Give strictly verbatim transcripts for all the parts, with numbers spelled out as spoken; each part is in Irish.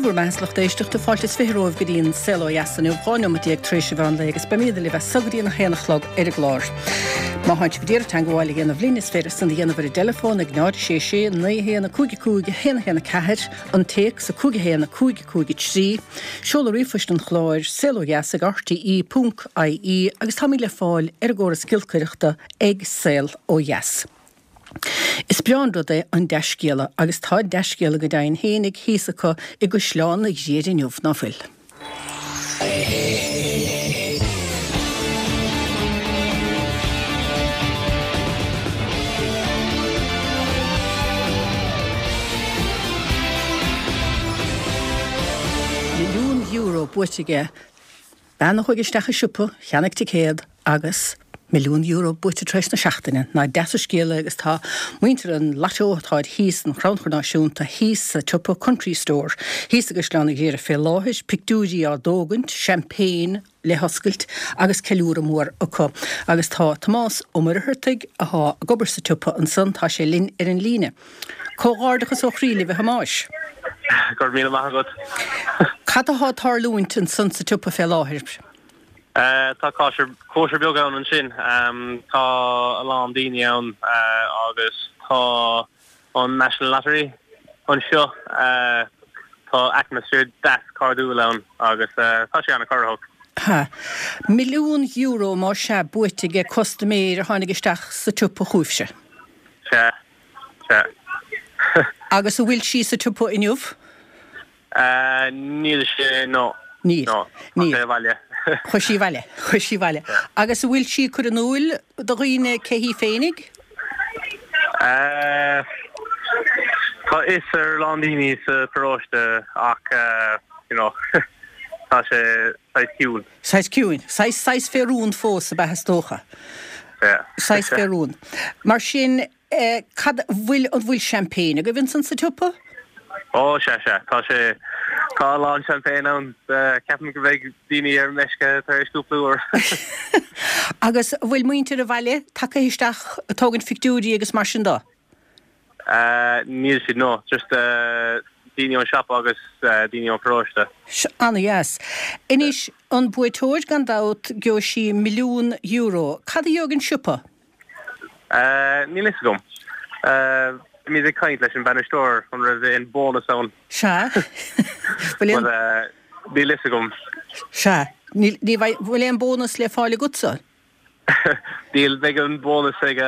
Dé bhur mbeatha a lucht éisteachta, fáilte is fiche romhaibh go dtí an Saol Ó Dheas inniu, dhá neomat déag tar éis an mheán lae agus beimid libh as so go dtí an haon a chlog ar an gclár. Má thánn sibh ag iarraidh teagmháil a dhéanamh linn is féidir san a dhéanamh ar an dteileafón ag náid sé sé naoi haon a cúig a cúig a haon a haon a ceathair, an téacs a cúig a haon a cúig a cúig a trí, seoladh ríomhphoist an chláir, saol ó dheas ag rte ponc ie agus táimid le fáil ar an gcóras giolcaireachta ag Saol Ó Dheas. Is breá an rud é an dea-scéala agus tá dea-scéala go deimhin fhéinig thíos acu i gCaisleán an Ghriaire inniu, ná fuil? Milliún euro buaite aige. Bean a chuaigh isteach i siopa, cheannaigh ticéad agus milliún euro buaite tar éis na seachtaine. Nach deas an scéal é agus tá muintir an Lotto atá thíos, an Chrannchur Náisiúnta, thíos sa tsiopa Country Store, thíos i gCaisleán an Ghriaire fé láthair, pictiúirí á dtógaint, champagne le hoscailt agus ceiliúradh mór acu. Agus tá Tomás Ó Muircheartaigh, athá ag obair sa tsiopa ansan, tá sé linn ar an líne. Comhghairdeachas ó chroí libh a Thomáis. Go raibh míle maith agat. Cad athá ag tarlúint ansan sa tsiopa fé láthair? Tá cóisir, cóisir beag ann ansin. Tá a lán daoine ann agus tá an National Lottery anseo. Tá atmaisféar deas cairdiúil ann agus tá sé an-chorraitheach. Ha. Milliún euro más ea buaite ag custaiméir a tháinig isteach sa tsiopa chugaibhse. Sea. Sea. Agus an bhfuil sí sa tsiopa inniu? Níl sé, no. Níl. No. Níl. Tá sé abhaile. Chuaigh sí abhaile. Chuaigh sí abhaile. Agus an bhfuil sí ag cur in iúil do dhaoine cé hí féinig? Tá fhios ar a lán daoine sa pharóiste ach, you know, tá sé saghas ciúin. Saghas ciúin. Saghas, saghas fé rún fós ab ea is dócha. Yeah. Saghas fé rún. Mar sin, Cad, bhfuil, an bhfuil champagne agaibh ansan sa tsiopa? Ó, sea, sea, tá sé, tá a lán champagne ann. Ceapaim go mbeidh daoine ar meisce tar éis cúpla uair. Agus an bhfuil muintir an bhaile tagtha isteach ag tógaint phictiúirí agus mar sin de? Níl siad, no. Just daoine ón siopa agus daoine ón pharóiste. Ana-dheas. Anois, an buaiteoir gan dabht, gheobhaidh sí milliún euro. Cad a gheobhaidh an siopa? Níl fhios agam. Bhí muid ag caint leis an bainisteoir an raibh aon bónas ann. Sea. Bhfuil aon. But níl fhios agam. Sea. Níl, ní bheidh, bhfuil aon bónas le fáil agatsa? Níl, beidh an bónas ag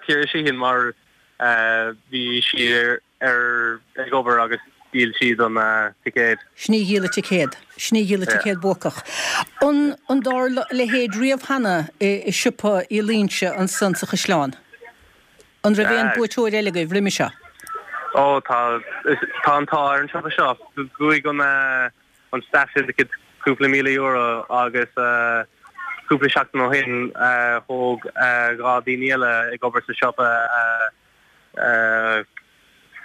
Ciara Sheehan mar bhí sí ar. ar ag obair agus dhíol siad an ticéad. Sin í a dhíol an ticéad. Sin í a dhíol an ticéad buacach. An an dtarla a leithéid riamh cheana i siopa Uí Loingsigh ansan sa Chaisleán? An raibh aon buaiteoir eile agaibh roimhe seo? Ó tá, tá an t-ádh ar an siopa seo. Bhuaigh an an Staff Syndicate cúpla míle euro agus cúpla seachtain ó shin thóg dhá daoine eile ag obair sa siopa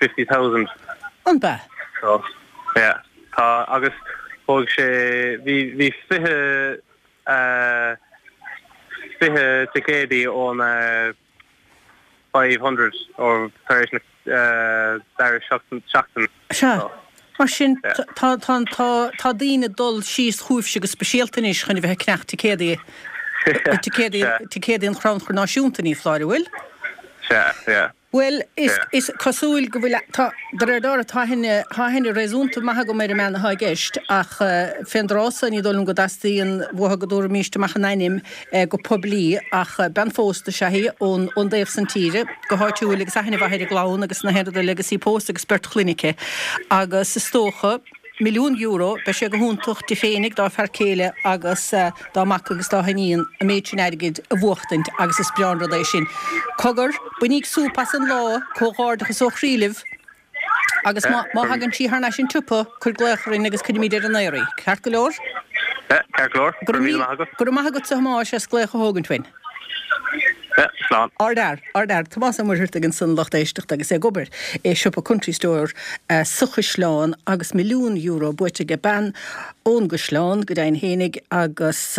fifty thousand. An b'ea? So, yeah. Tá, agus thóg sé, bhí, bhí fiche, fiche ticéadaí ón five hundred ó tar éis na dara seachtain. Sea. Mar sin, tá, tá, tá, tá daoine ag dul síos chugaibhse go speisialta anois chun a bheith ag ceannach ticéadaí, ticéadaí, ticéadaí an Chrannchuir Náisiúnta, ní foláir, an bhfuil? Sea, yeah. Bhuel, is, is cosúil go bhfuil, tá, de réir dealraimh, tá aithne, tá aithne réasúnta maith agam ar an mbean atá i gceist ach fén dtráth so ní dóigh liom go dteastaíonn uathu go dtabharfaimíst amach an ainm go poiblí ach bean phósta is ea í ón, ón dtaobh san tíre, go háitiúil agus aithne mhaith ar an gclann agus na haon rud eile agus í pósta agus beirt chlainne aici agus is dócha, milliún euro, beidh sé go hiontach di féinig, dá fear céile agus dá mac agus dá hiníon an méid sin airgid a bhuachtaint agus is breá an rud é sin. Cogar, bainíg súp as an lá, comhghairdeachas ó chroí libh agus má má thagann sí thar n-ais an tsiopa, cuir glaoch orainn agus cuirfimid ar an aer í. Ceart go leor? Ceart go leor. Go raibh míle maith agat. Go raibh maith agatsa a Thomáis as glaoch a thógaint uainn. Slán. Ardfhear, ardfhear. Tomás Ó Muircheartaigh ansan, lucht éisteachta agus é ag obair i siopa Country Store sa Chaisleán agus milliún euro buaite aige bean ón gCaisleán go deimhin fhéinig agus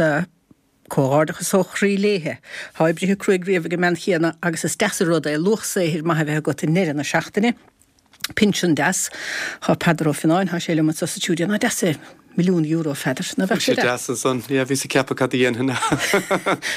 comhghairdeachas ó chroí léithe. Tá oibrithe cruaidh riamh ag an mbean chéanna agus is deas an rud é luach saothair maith a bheith agat i ndeireadh na seachtaine. Pinsean deas. Tá Peadar Ó Fionnáin, tá sé liom anseo sa stiúideo. Nach deas é milliún euro, a Pheadair? Nach bheadh sé deas? Deas ansan. Yeah, bhíos ag ceapadh cad a dhéanfainn.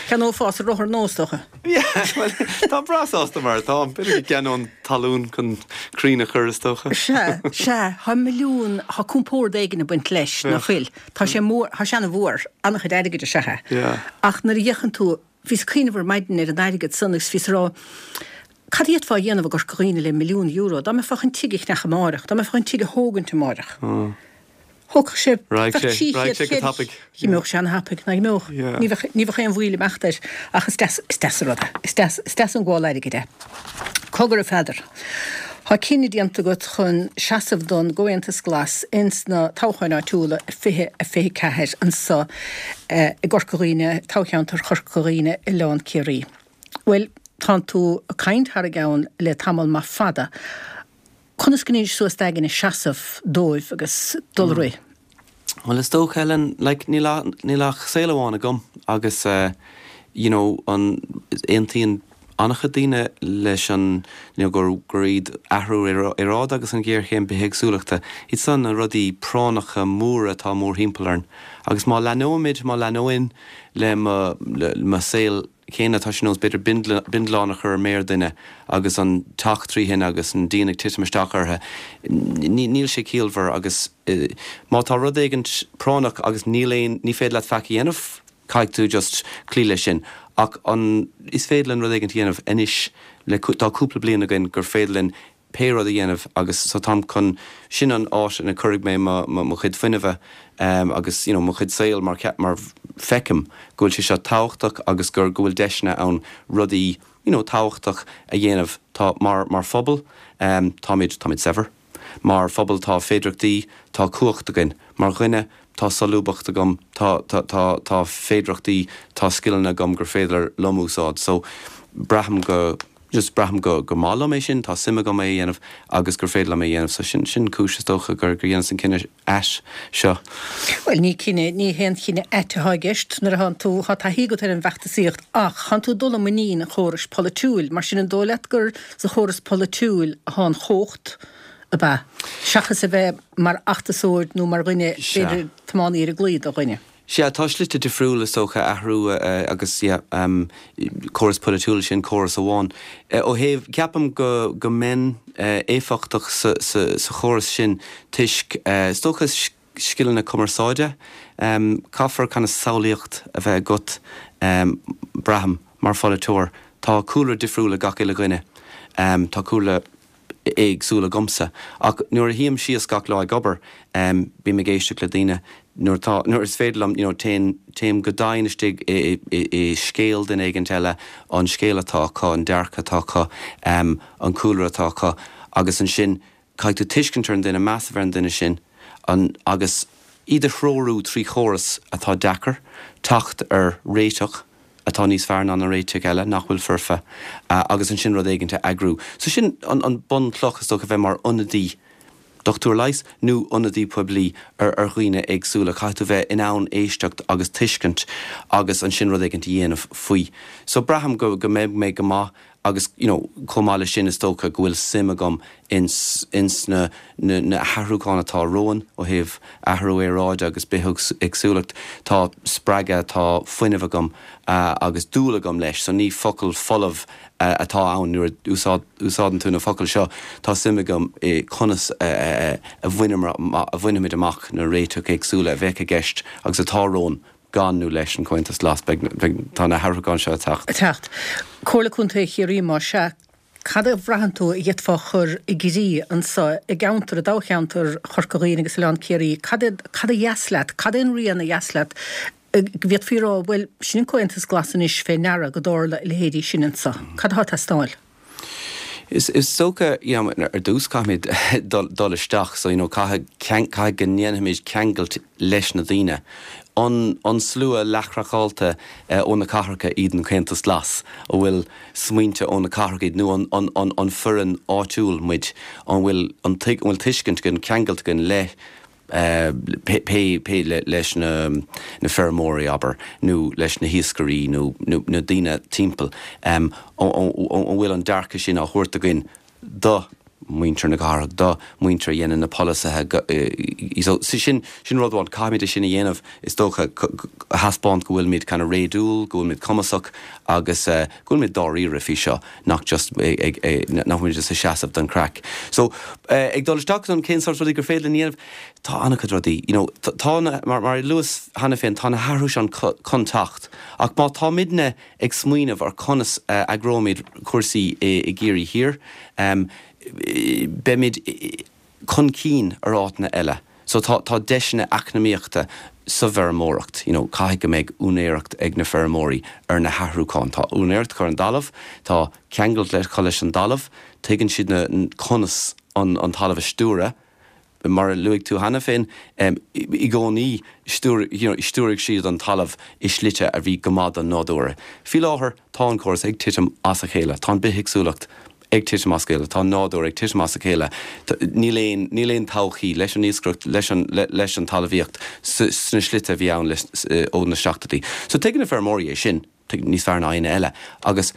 Cheannófá rothar nua, is dócha. Yeah, well, táim breá sásta mar atáim. B'fhéidir go gceannóinn talún chun crainn a chur, is dócha. Sea, sea, tá milliún, tá compord éigin ag baint leis, nach bhfuil? Tá sé mór, tá sé ana-mhór, an-chuid airgid is ea é. Yeah. Ach nuair a fhéachann tú, bhíos ag cuimhneamh ar maidin ar an airgead san agus bhíos ag rá, Cad a d'fhéadfá a dhéanamh i gCorca Dhuibhne le milliún euro? Dá mbeifeá chun tigh a cheannach amáireach, dá mbeifeá chun tigh a thógaint amáireach, thógfadh sé, Raghadh bheadh sé, trí raghadh chéad, sé go ceithre, tapaidh. Dh'imeodh sé ana-thapaidh, nach n-imeodh? Yeah. Ní bheadh, ní bheadh aon mhoill imeachta air. Ach is deas, is deas an rud é. Is deas, is deas an gabháil airgid é. Cogar a Pheadair. Tá cinneadh déanta agat chun seasamh don gComhaontas Glas ins na toghcháin áitiúla fiche a fiche ceathair anso i gCorca Dhuibhne, toghcheantar Chorca Dhuibhne, Oileán Ciarraí. Bhuel, tánn tú ag caint thar a gceann le tamall maith fada. Conas go ndeachaigh suas d'aigne seasamh dóibh agus dul ar aghaidh? Bhuel, is dócha, Helen, like, níl ach, níl ach saol amháin agam agus eh, you know, an, aontaíonn an-chuid daoine leis an, you know, gur, gur iad athrú aeráide agus an ghéarchéim bithéagsúlachta, iad san na rudaí práinneacha móra atá mórthimpeall orainn. Agus má leanóimid, má leanóinn le mo, le mo saol céanna, tá sé nós b'fhéidir bindealán a chur ar méar duine agus an teach trí thine agus an díon ag titim isteach orthu. Níl sé ciallmhar agus má tá rud éigin práinneach agus níl aon, ní féidir leat faic a dhéanamh, caithfidh tú just cloí leis sin. Ach an, is féidir linn rud éigin a dhéanamh anois le, tá cúpla bliain againn gur féidir linn pé rud a dhéanamh agus so táim chun, sin an áit ina cuirfidh mé mo, mo, mo chuid fuinnimhe agus you know mo chuid saoil mar mar feicim go bhfuil sé seo tábhachtach agus gur, go bhfuil deiseanna ann rudaí you know tábhachtach a dhéanamh. Tá, mar, mar phobal táimid, táimid saibhir. Mar phobal tá féidireachtaí, tá cumhacht againn. Mar dhuine tá solúbthacht agam, tá, tá, tá, tá féidireachtaí, tá scileanna agam gur féidir liom úsáid. So braithim go, just braithim go gur maith liom é sin, tá suim agam é a dhéanamh agus gur féidir liom é a dhéanamh. So sin, sin cúis is dócha gur, gur dheineas an cinneadh ait seo. Bhuel, ní cinneadh, ní haon chinneadh ait atá i gceist nuair atánn tú, tá taithí agat ar an bhfeachtasaíocht ach thánn tú ag dul i muinín an chórais pholaitiúil, mar sin an dóigh leat gur sa chóras polaitiúil atá an chumhacht, ab ea? Seachas a bheith mar fheachtasóir nó mar dhuine, b'fhéidir, tiománaí ar an gclaí do dhuine. Sea, tá slite difriúla is dócha athrú agus yeah córas polaitiúil sin córas amháin. Ó thaobh, ceapaim go go mbeinn éifeachtach sa sa sa chóras sin toisc is dócha scileanna cumarsáide. Caithfear kind of samhlaíocht a bheith agat braithim mar pholaiteoir. Tá cúlra difriúil ag gach uile dhuine. Tá cúlra éagsúil agamsa. Ach nuair a shuím síos gach lá ag obair, bím ag éisteacht le daoine. Nuair atá, nuair is féidir liom, you know, téann, téim go domhain istigh i, i, i scéal duine éigint eile, an scéal atá acu, an dearcadh atá acu, an cúlra atá acu agus ansin caithfidh tú tuiscint ar an duine, meas a bheith ar an duine sin, an, agus iad a threorú trí chóras atá deacair, teacht ar réiteach. atá níos fearr ná na réitigh eile nach bhfuil foirfe agus ansin rud éigint a eagrú. So sin an an bunchloch is dócha, bheith mar ionadaí, dochtúir leighis nó ionadaí poiblí ar ar dhaoine éagsúla. Caithfidh tú bheith in ann éisteacht agus tuiscint agus ansin rud éigint a dhéanamh faoi. So braithim go go mbeidh mé go maith Agus you know chomh maith leis sin is dócha go bhfuil suim agam ins ins na na na hathrúcháin atá romhainn ó thaobh athrú aeráide agus bithéagsúlacht. Tá spreagadh, tá fuinneamh agam agus dúil agam leis. So ní focal folamh atá ann nuair a úsáid úsáideann tú na focail seo. Tá suim agam i conas a a bhaineamar a bhainfimid amach na réiteach éagsúla a bheadh i gceist agus atá romhainn gan nó leis an Comhaontas Glas, beidh, beidh, tá na hathrúcháin seo ag teacht. Ag teacht. Comhairle Contae Chiarraí, más ea, cad a bhraitheann tú a d'fhéadfá a chur i gcrích anso i gceantar, i dtoghcheantar Chorca Dhuibhne agus Oileán Ciarraí, cad é, cad a dheas leat, cad é an rian a dheas leat go bhféadfaí a rá, bhuel, sin an Comhaontas Glas anois fé ndeara go dtarla a leithéidí sin anso. Cad atá ag teastáil? Is dócha, you know, ar dtús caithfimid dul dul isteach so, you know, caithfidh caithfidh go ndéanfaimid ceangailt leis na daoine. An an slua leathchraiceáilte ó na cathracha iad an Comhaontas Glas? An bhfuil smaointe ó na cathracha iad nó an an an an foireann áitiúil muid? An bhfuil an an bhfuil tuiscint againn, ceangailt againn le pé pé leis na na feirmeoirí, abair, nó leis na hiascairí nó na daoine timpeall, an bhfuil an dearcadh sin á thabhairt againn do muintir na cathrach, do muintir a dhéanann na polasaithe. So sin sin rud amháin, caithfimid é sin a dhéanamh, is dócha, a thaispeáint go bhfuilimid kind of réadúil, go bhfuilimid cumasach agus go bhfuilimid dáiríre faoi seo, nach just ag nach bhfuilimid just ag seasamh don chraic. So ag dul isteach don cén sórt rudaí gur féidir linn a dhéanamh, tá an-chuid rudaí, you know, tá na, mar mar a luas cheana féin, tá na hathruithe sin chun teacht ach má táimidne ag smaoineamh ar conas a eagróimid cúrsaí i gCiarraí Thiar, beimid chun cinn ar áiteanna eile. So tá tá deiseanna eacnamaíochta sa bhfeirmeoireacht, you know, caithfidh go mbeidh úinéireacht ag na feirmeoirí ar na hathrúcháin. Tá úinéireacht acu ar an dtalamh, tá ceangal acu leis an dtalamh, tuigeann siad na conas an an talamh a stiúradh. Mar a luaigh tú cheana féin, i gcónaí stiúraigh siad an talamh i slite a bhí go maith don nádúr. Faoi láthair tá an córas ag titim as a chéile, tá an bithéagsúlacht ag titim as a chéile, tá an nádúr ag titim as a chéile. Níl aon, níl aon todhchaí leis an iascaireacht, leis an, leis an talmhaíocht sna slite a bhí ann ó na seachtóidí. So tuigeann na feirmeoirí é sin. níos fearr ná éinne eile agus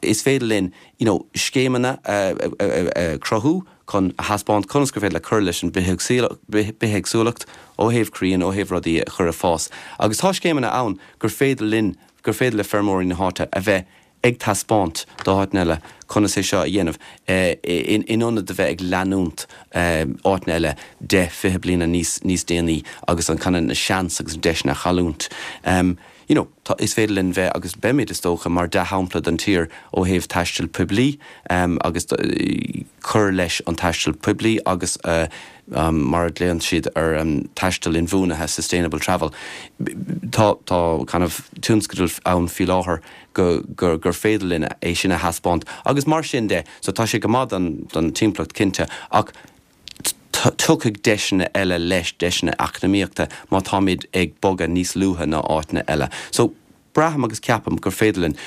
is féidir linn you know, scéimeanna a chruthú chun a thaispeáint conas gur féidir le cur leis an bithéagsúlacht ó thaobh crainn, ó thaobh rudaí a chur ag fás. Agus tá scéimeanna ann gur féidir linn, gur féidir le feirmeoirí na háite a bheith ag taispeáint d'áiteanna eile conas é seo a dhéanamh in ionad a bheith ag leanúint áiteanna eile deich, fiche bliana níos níos déanaí agus an kind of na seans agus an deiseanna a chailliúint. You know, tá, is féidir linn bheith, agus beimid is dócha, mar dea-shampla don tír ó thaobh taisteal poiblí agus cur leis an taisteal poiblí agus mar a ghlaonn siad ar an taisteal inbhuanaithe, sustainable travel. Tá, tá kind of tionscadal ann faoi láthair go, gur, gur féidir linn é sin a thaispeáint agus mar sin de, so tá sé go maith don, don timpeallacht cinnte ach tiocfaidh deiseanna eile leis, deiseanna eacnamaíochta, má táimid ag bogadh níos luaithe ná áiteanna eile. So, braithim agus ceapaim gur féidir linn.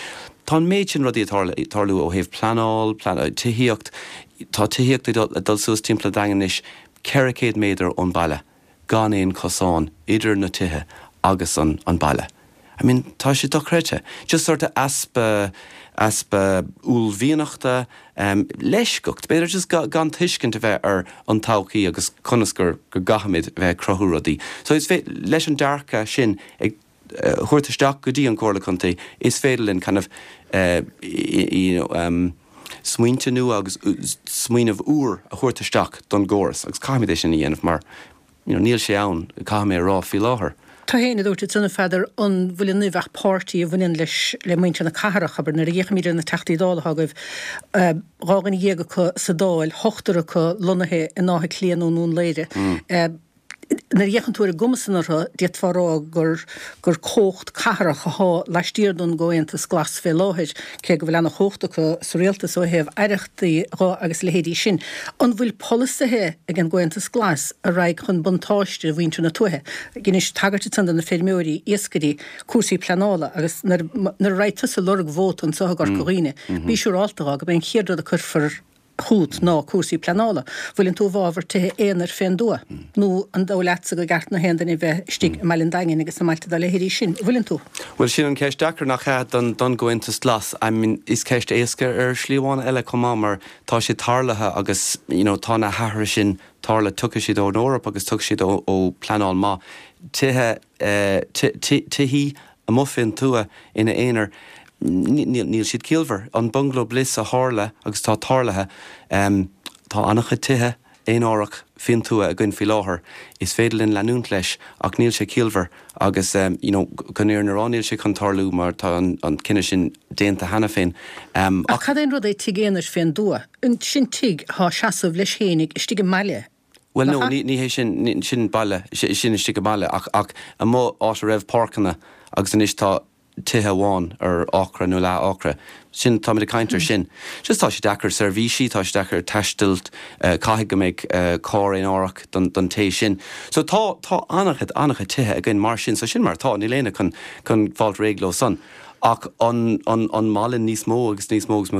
Tá an méid sin rudaí ag tarlú ó thaobh pleanáil, tithíocht, tá tithíocht ag dul suas timpeall an Daingin anois ceithre chéad méadar ón baile, gan aon chosán idir na tithe agus an baile. I mean, tá sé dochreidte. Just sort of easpa, easpa uaillmhianachta, leisceacht, b'fhéidir just gan tuiscint a bheith ar an todhchaí agus conas gur, go gcaithfimid a bheith ag cruthú rudaí. So is fé, leis an dearcadh sin ag thabhairt isteach go dtí an Comhairle Contae, is féidir linn kind of, you know, um, smaointe nua agus smaoineamh úr a thabhairt isteach don gcóras agus caithfimid é sin a dhéanamh mar you know, níl sé ann, caithfidh mé a rá, faoi láthair. Tú féin a dúirt ansan, a Pheadair, an bhfuil in uaibh ach páirtí a bhaineann leis, le muintir na cathrach, abair, nuair a fhéachaimid ar na Teachtaí Dála atá agaibh, dhá dhuine dhéag acu sa Dáil, ochtar acu lonnaithe in Áth Cliath nó i nDún Laoghaire. Nuair a fhéachann tú ar an gcuma san orthu, d'fhéadfá a rá gur gur cumhacht cathrach athá laistiar don gComhaontas Glas fé láthair, cé go bhfuil ana-chumhacht acu sa rialtas ó thaobh aireachtaí dho agus a leithéidí sin. An bhfuil polasaithe ag an gComhaontas Glas a raghaidh chun buntáiste mhuintir na tuaithe? Dheinis tagairt ansan do na feirmeoirí, iascairí, cúrsaí pleanála agus nuair a raghaidh tusa ag lorg vóta anso i gCorca Dhuibhne, bí siúrálta dho gurb é an chéad rud a cuirfear chút ná cúrsaí pleanála. Bhfuileann tú i bhfabhar tithe aonair fén dtuath? Nó an dóigh leatsa gur ceart do haon duine bheith istigh i mBaile an Daingin agus sna mbailte dá leithéidí sin? Bhfuileann tú? Bhuel, sin an ceist deacair, nach ea, don don gComhaontas Glas. I mean, is ceist éasca ar shlí amháin eile chomh maith mar tá sé tarlaithe agus, you know, tá na hathruithe sin tarlaithe, tiocfaidh siad ón Eoraip agus tiocfaidh siad ó ó pleanáil maith. Tithe, eh, tithí amuigh fén tuath ina aonar, níl siad ciallmhar. An Bungalow Bliss a tharla agus atá tarlaithe, tá an-chuid tithe aonárach faoin tuath againn faoi láthair. Is féidir linn leanúint leis ach níl sé ciallmhar agus you know chun an fhírinne a rá níl sé chun tarlú mar tá an cinneadh sin déanta cheana féin. Ach cad é an rud é tigh aonair fén dtuath? Sin tigh atá ag seasamh leis fhéinig istigh i mbaile, Bhuel nach no, ea? ní hé sin, sin baile, sin istigh i mbaile ach ach amuigh áit a raibh páirceanna agus anois tá tithe amháin ar acra nó leath acra. Sin, táimid ag caint ar sin. Just tá sé deacair seirbhísí, tá sé deacair taisteal, caithfidh go mbeidh carr aonárach don don té sin. So tá, tá an-chuid, an-chuid tithe againn mar sin, so sin mar atá, níl éinne chun, chun fáilt réidh leo san. Ach an, an, an maith linn níos mó agus níos mó agus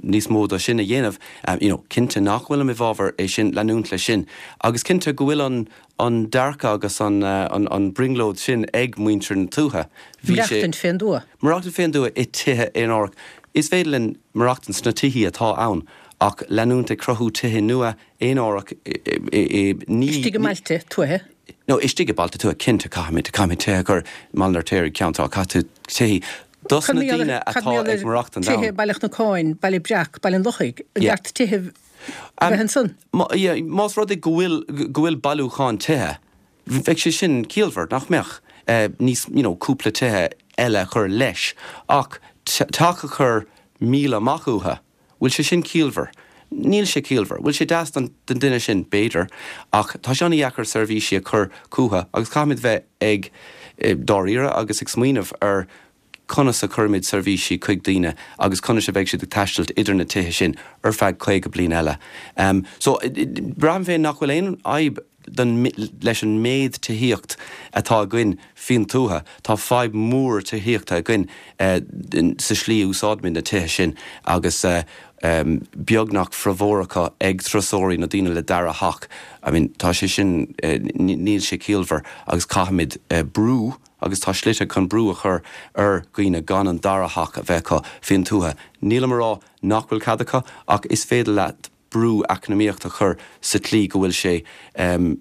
níos mó de sin a dhéanamh, you know, cinnte nach bhfuilim i bhfabhar é sin, leanúint leis sin. Agus cinnte go bhfuil an, an dearcadh agus an, an, an brionglóid sin ag muintir na tuaithe. Bhí sé. Maireachtaint fén dtuath. Maireachtaint fén dtuath i tithe aonárach. Is féidir linn maireachtaint sna tithí atá ann Ach leanúint ag cruthú tithe nua aonarach ní. Istigh i mbailte tuaithe? No, istigh i bailte tuaithe, cinnte, caithfimid, caithfimid tithe a chur i mBaile an Fheirtéaraigh, Ceann Trá, caithfidh tú tithe dos na daoine atá ag maireachtaint ann. Tithe Baile Chnocáin, Baile Breac, Baile an Lochaigh, an gceart tithe a bheith ansan? Más rud é go bhfuil, go bhfuil bailiúchán tithe, bheadh sé sin ciallmhar, nach mbeadh? Níos, you know, cúpla tithe eile a chur leis, ach teach a chur míle amach uathu, Bhfuil sé sin ciallmhar? Níl sé ciallmhar. Bhfuil sé deas don duine sin? B'fhéidir. Ach tá sé an-dheacair seirbhísí a chur chucu agus caithfimid bheith ag dáiríre agus ag smaoineamh ar conas a chuirimid seirbhísí chuig daoine agus conas a bheidh siad ag taisteal idir na tithe sin ar feadh caoga bliain eile. So, braithim féin nach bhfuil aon fhadhb don, leis an méid tithíocht atá againn faoin tuath. Tá fadhb mhór tithíochta againn sa slí a úsáidimid na tithe sin agus beagnach formhór acu ag turasóirí nó daoine le dara theach. I mean, tá sé sin, níl sé ciallmhar agus caithfimid brú agus tá slite chun brú a chur ar dhaoine gan an dara theach a bheith acu faoin tuath. Nílim a rá nach bhfuil cead acu ach is féidir leat brú eacnamaíocht a chur sa tslí go bhfuil sé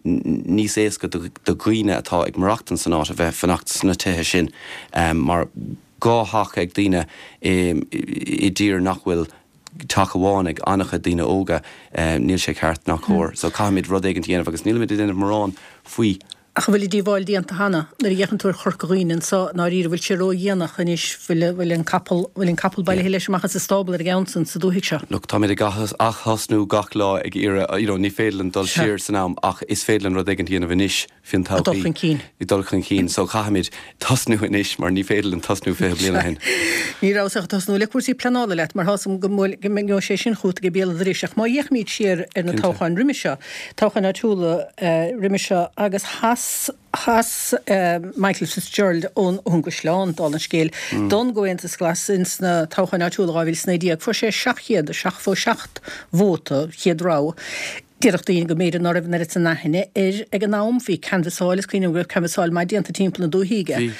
níos éasca do dhaoine atá ag maireachtaint san áit a bheith fanacht sna tithe sin mar dhá theach ag daoine i dtír nach bhfuil teach amháin ag an-chuid daoine óga, níl sé ceart ná cóir. So caithfimid rud éigin a dhéanamh agus nílimid ag déanamh mórán faoi. Ach an bhfuil an díobháil déanta cheana? Nuair a fhéachann tú ar Chorca Dhuibhne anso, i ndáiríre, bhfuil sé ródhéanach anois, bhfuil, bhfuil an capall, bhfuil an capall bailithe leis amach as an stábla ar an gceann san sa dúthaigh seo? Look, táimid ag ath-thosnú gach lá ag iarraidh, you know, ní féidir linn dul siar san am ach is féidir linn rud éigin a dhéanamh anois faoin todhchaí. Dul chun cinn. Dul chun cinn. So caithfimid tosnú anois mar ní féidir linn tosnú fiche bliain ó shin. Ní rabhas ach ag tosnú le cúrsaí pleanála leat mar tá 's agam go mbeidh sé sin chugat ag béal an dorais ach má fhéachaimid siar ar na toghcháin roimhe seo, toghcháin áitiúla roimhe seo agus chas, chas Michael Fitzgerald ón gCaisleán, dála an scéil, don gComhaontas Glas ins na toghcháin áitiúla dhá mhíle is naoi déag. Fuair sé seacht chéad seachtó seacht vóta, chéad rogha. Déarfadh daoine go mb'fhéidir ná raibh an oiread san aithne air ag an am. Bhí canbhasáil, is cuimhin liom go raibh canbhasáil maith déanta timpeall na dúichí aige.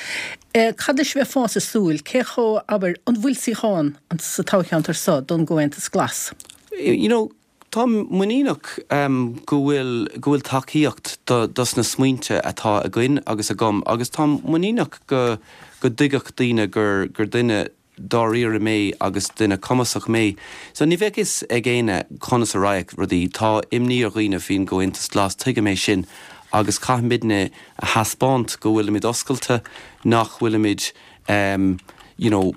Cad leis a bheifeása ag súil? Cé chomh, abair, an bhfuil suíochán sa toghcheantar so don gComhaontas Glas? You know, Táim muiníneach go bhfuil go bhfuil tacaíocht do dos na smaointe atá againn agus agam agus táim muiníneach go go dtuigfeadh daoine gur gur duine dáiríre mé agus duine cumasach mé. So ní bheadh fhios ag éinne conas a raghadh rudaí. Tá imní ar dhaoine faoin gComhaontas Glas, tuigim é sin agus caithfimidne a thaispeáint go bhfuilimid oscailte, nach bhfuilimid you know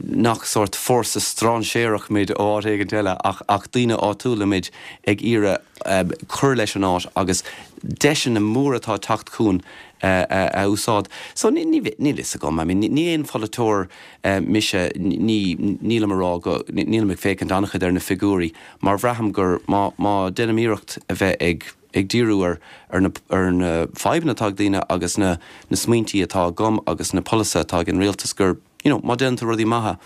nach sórt fórsa strainséarach muid ó áit éigint eile ach ach daoine áitiúla muid ag iarraidh cur leis an áit agus deiseanna móra atá ag teacht chugainn a úsáid. So ní ní níl fhios agam, I mean ní aon pholaiteoir mise, ní nílim a rá go nílim ag féachaint an-chuid ar na figiúirí mar bhraithim gur má má déanaim iarracht a bheith ag ag díriú ar ar na ar na fadhbanna atá ag daoine agus na na smaointí atá agam agus na polasaithe atá ag an rialtas gur you know má déanann tú rudaí maithe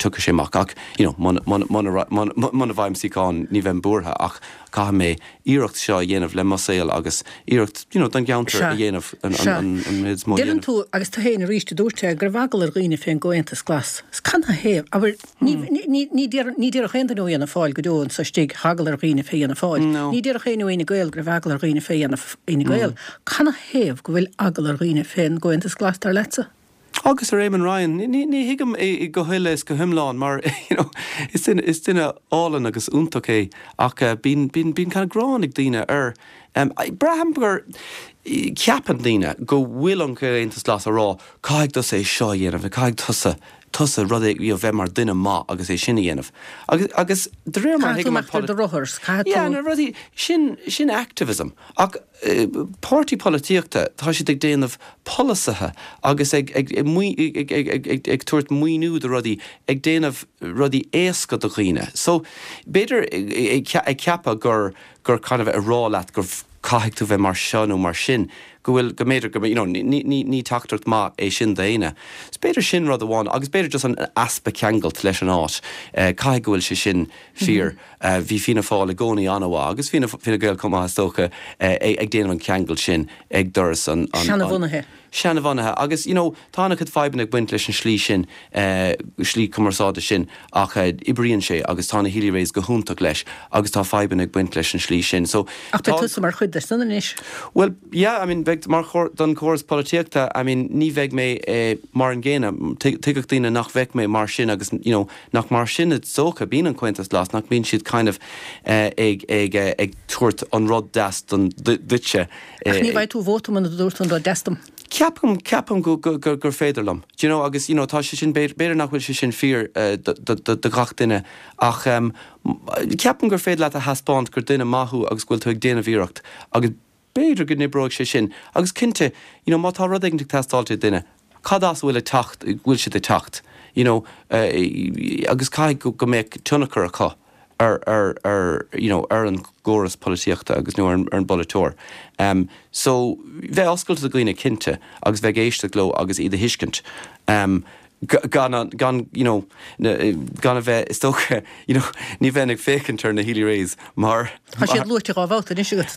tiocfaidh sé amach ach you know muna muna muna muna bhfaighim suíochán ní bheinn buartha ach caithfidh mé iarracht seo a dhéanamh le mo saol agus iarracht you know don gceantar a dhéanamh an an an méid is mó a Deireann dhéanamh. tú agus tú féin arís a dúirt é go raibh eagla ar dhaoine fén gComhaontas Glas. Is canathaobh? Abair ní ní ní déarfadh ní déarfadh aon duine ó Fhianna Fáil go deo anso istigh tá eagla ar dhaoine fé Fhianna Fáil. No. Ní déarfadh éinne ó Fhine Gael go raibh eagla ar dhaoine fé Fhine Gael. Canathaobh go bhfuil eagla ar dhaoine fén gComhaontas Glas dar leatsa? Agus ar Éamon Ryan, ní ní thuigim é go huile is go hiomlán mar you know is duine is duine álainn agus iontach é ach bíonn bíonn bíonn kind of gráin ag daoine air. Braithim gur ceapann daoine go bhfuil an Comhaontas Glas ag rá caithfidh tusa é seo a dhéanamh, caithfidh tusa tusa rud é you know bheith mar duine maith agus é sin a dhéanamh. Agus agus de réir mar a Caithfidh tú thuigim an imeacht ar do rothar, caithfidh Yeah, tú. na rudaí sin sin activism ach páirtí polaitíochta, tá siad ag déanamh polasaithe agus ag ag ag ag ag ag tabhairt maoiniú do rudaí, ag déanamh rudaí éasca do dhaoine. So b'fhéidir ag ceapadh gur gur kind of a rá leat gur caithfidh tú bheith mar seo nó mar sin, go bhfuil, go mb'fhéidir go, you know, ní ní ní teachtaireacht maith é sin d'éinne. So b'fhéidir sin rud amháin agus b'fhéidir just an easpa ceangailt leis an áit. Caithfidh go bhfuil sé sin fíor. Bhí Fianna Fáil i gcónaí an-mhaith agus Fianna Gael chomh maith is dócha ag déanamh an ceangal sin ag doras an Seanabhunaithe. seanbhunaithe agus, you know, tá an-chuid fadhbanna ag baint leis an slí sin, eh, slí cumarsáide sin ach eh, oibríonn sé agus tá na Healy-Raes go hiontach leis agus tá fadhbanna ag baint leis an slí sin. So Ach tá tusa mar chuid de san anois. Well, yeah, I mean, bheidh mar don chóras polaitíochta, I mean, ní bheidh mé eh, mar an gcéanna, tuigfidh daoine nach bheidh mé mar sin agus you know, nach mar sin is dócha bíonn an Comhaontas Glas, nach mbíonn siad kind of eh, ag, ag, eh, ag tabhairt an rud deas don duitse. Ach ní bheidh tú vóta muna dúirt an rud deas dom. Ceapaim ceapaim go, go, go, gur féidir liom. Do you know, agus you know, tá sé sin b'fhéidir nach bhfuil sé sin fíor uh, do gach duine ach um, ceapaim gur féidir leat a thaispeáint gur duine maith thú agus go bhfuil tú ag déanamh iarracht agus b'fhéidir go n-oibreoidh sé sin agus cinnte you know, má tá rud ag teastáil ó duine cad as bhfuil a teacht bhfuil siad ag teacht you know, uh, agus caithfidh go, go mbeadh tionchar acu ar ar ar you know ar an gcóras polaitíochta agus nó ar, ar an bpolaiteoir. Um, so bheith oscailte do dhaoine cinnte agus bheith éisteacht leo agus iad a thuiscint. Um, gan gan you know gan a bheith is dócha you know ní bheinn ag féachaint ar na Healy-Raes mar Tá siad luaite dhá bhabhta anois agat.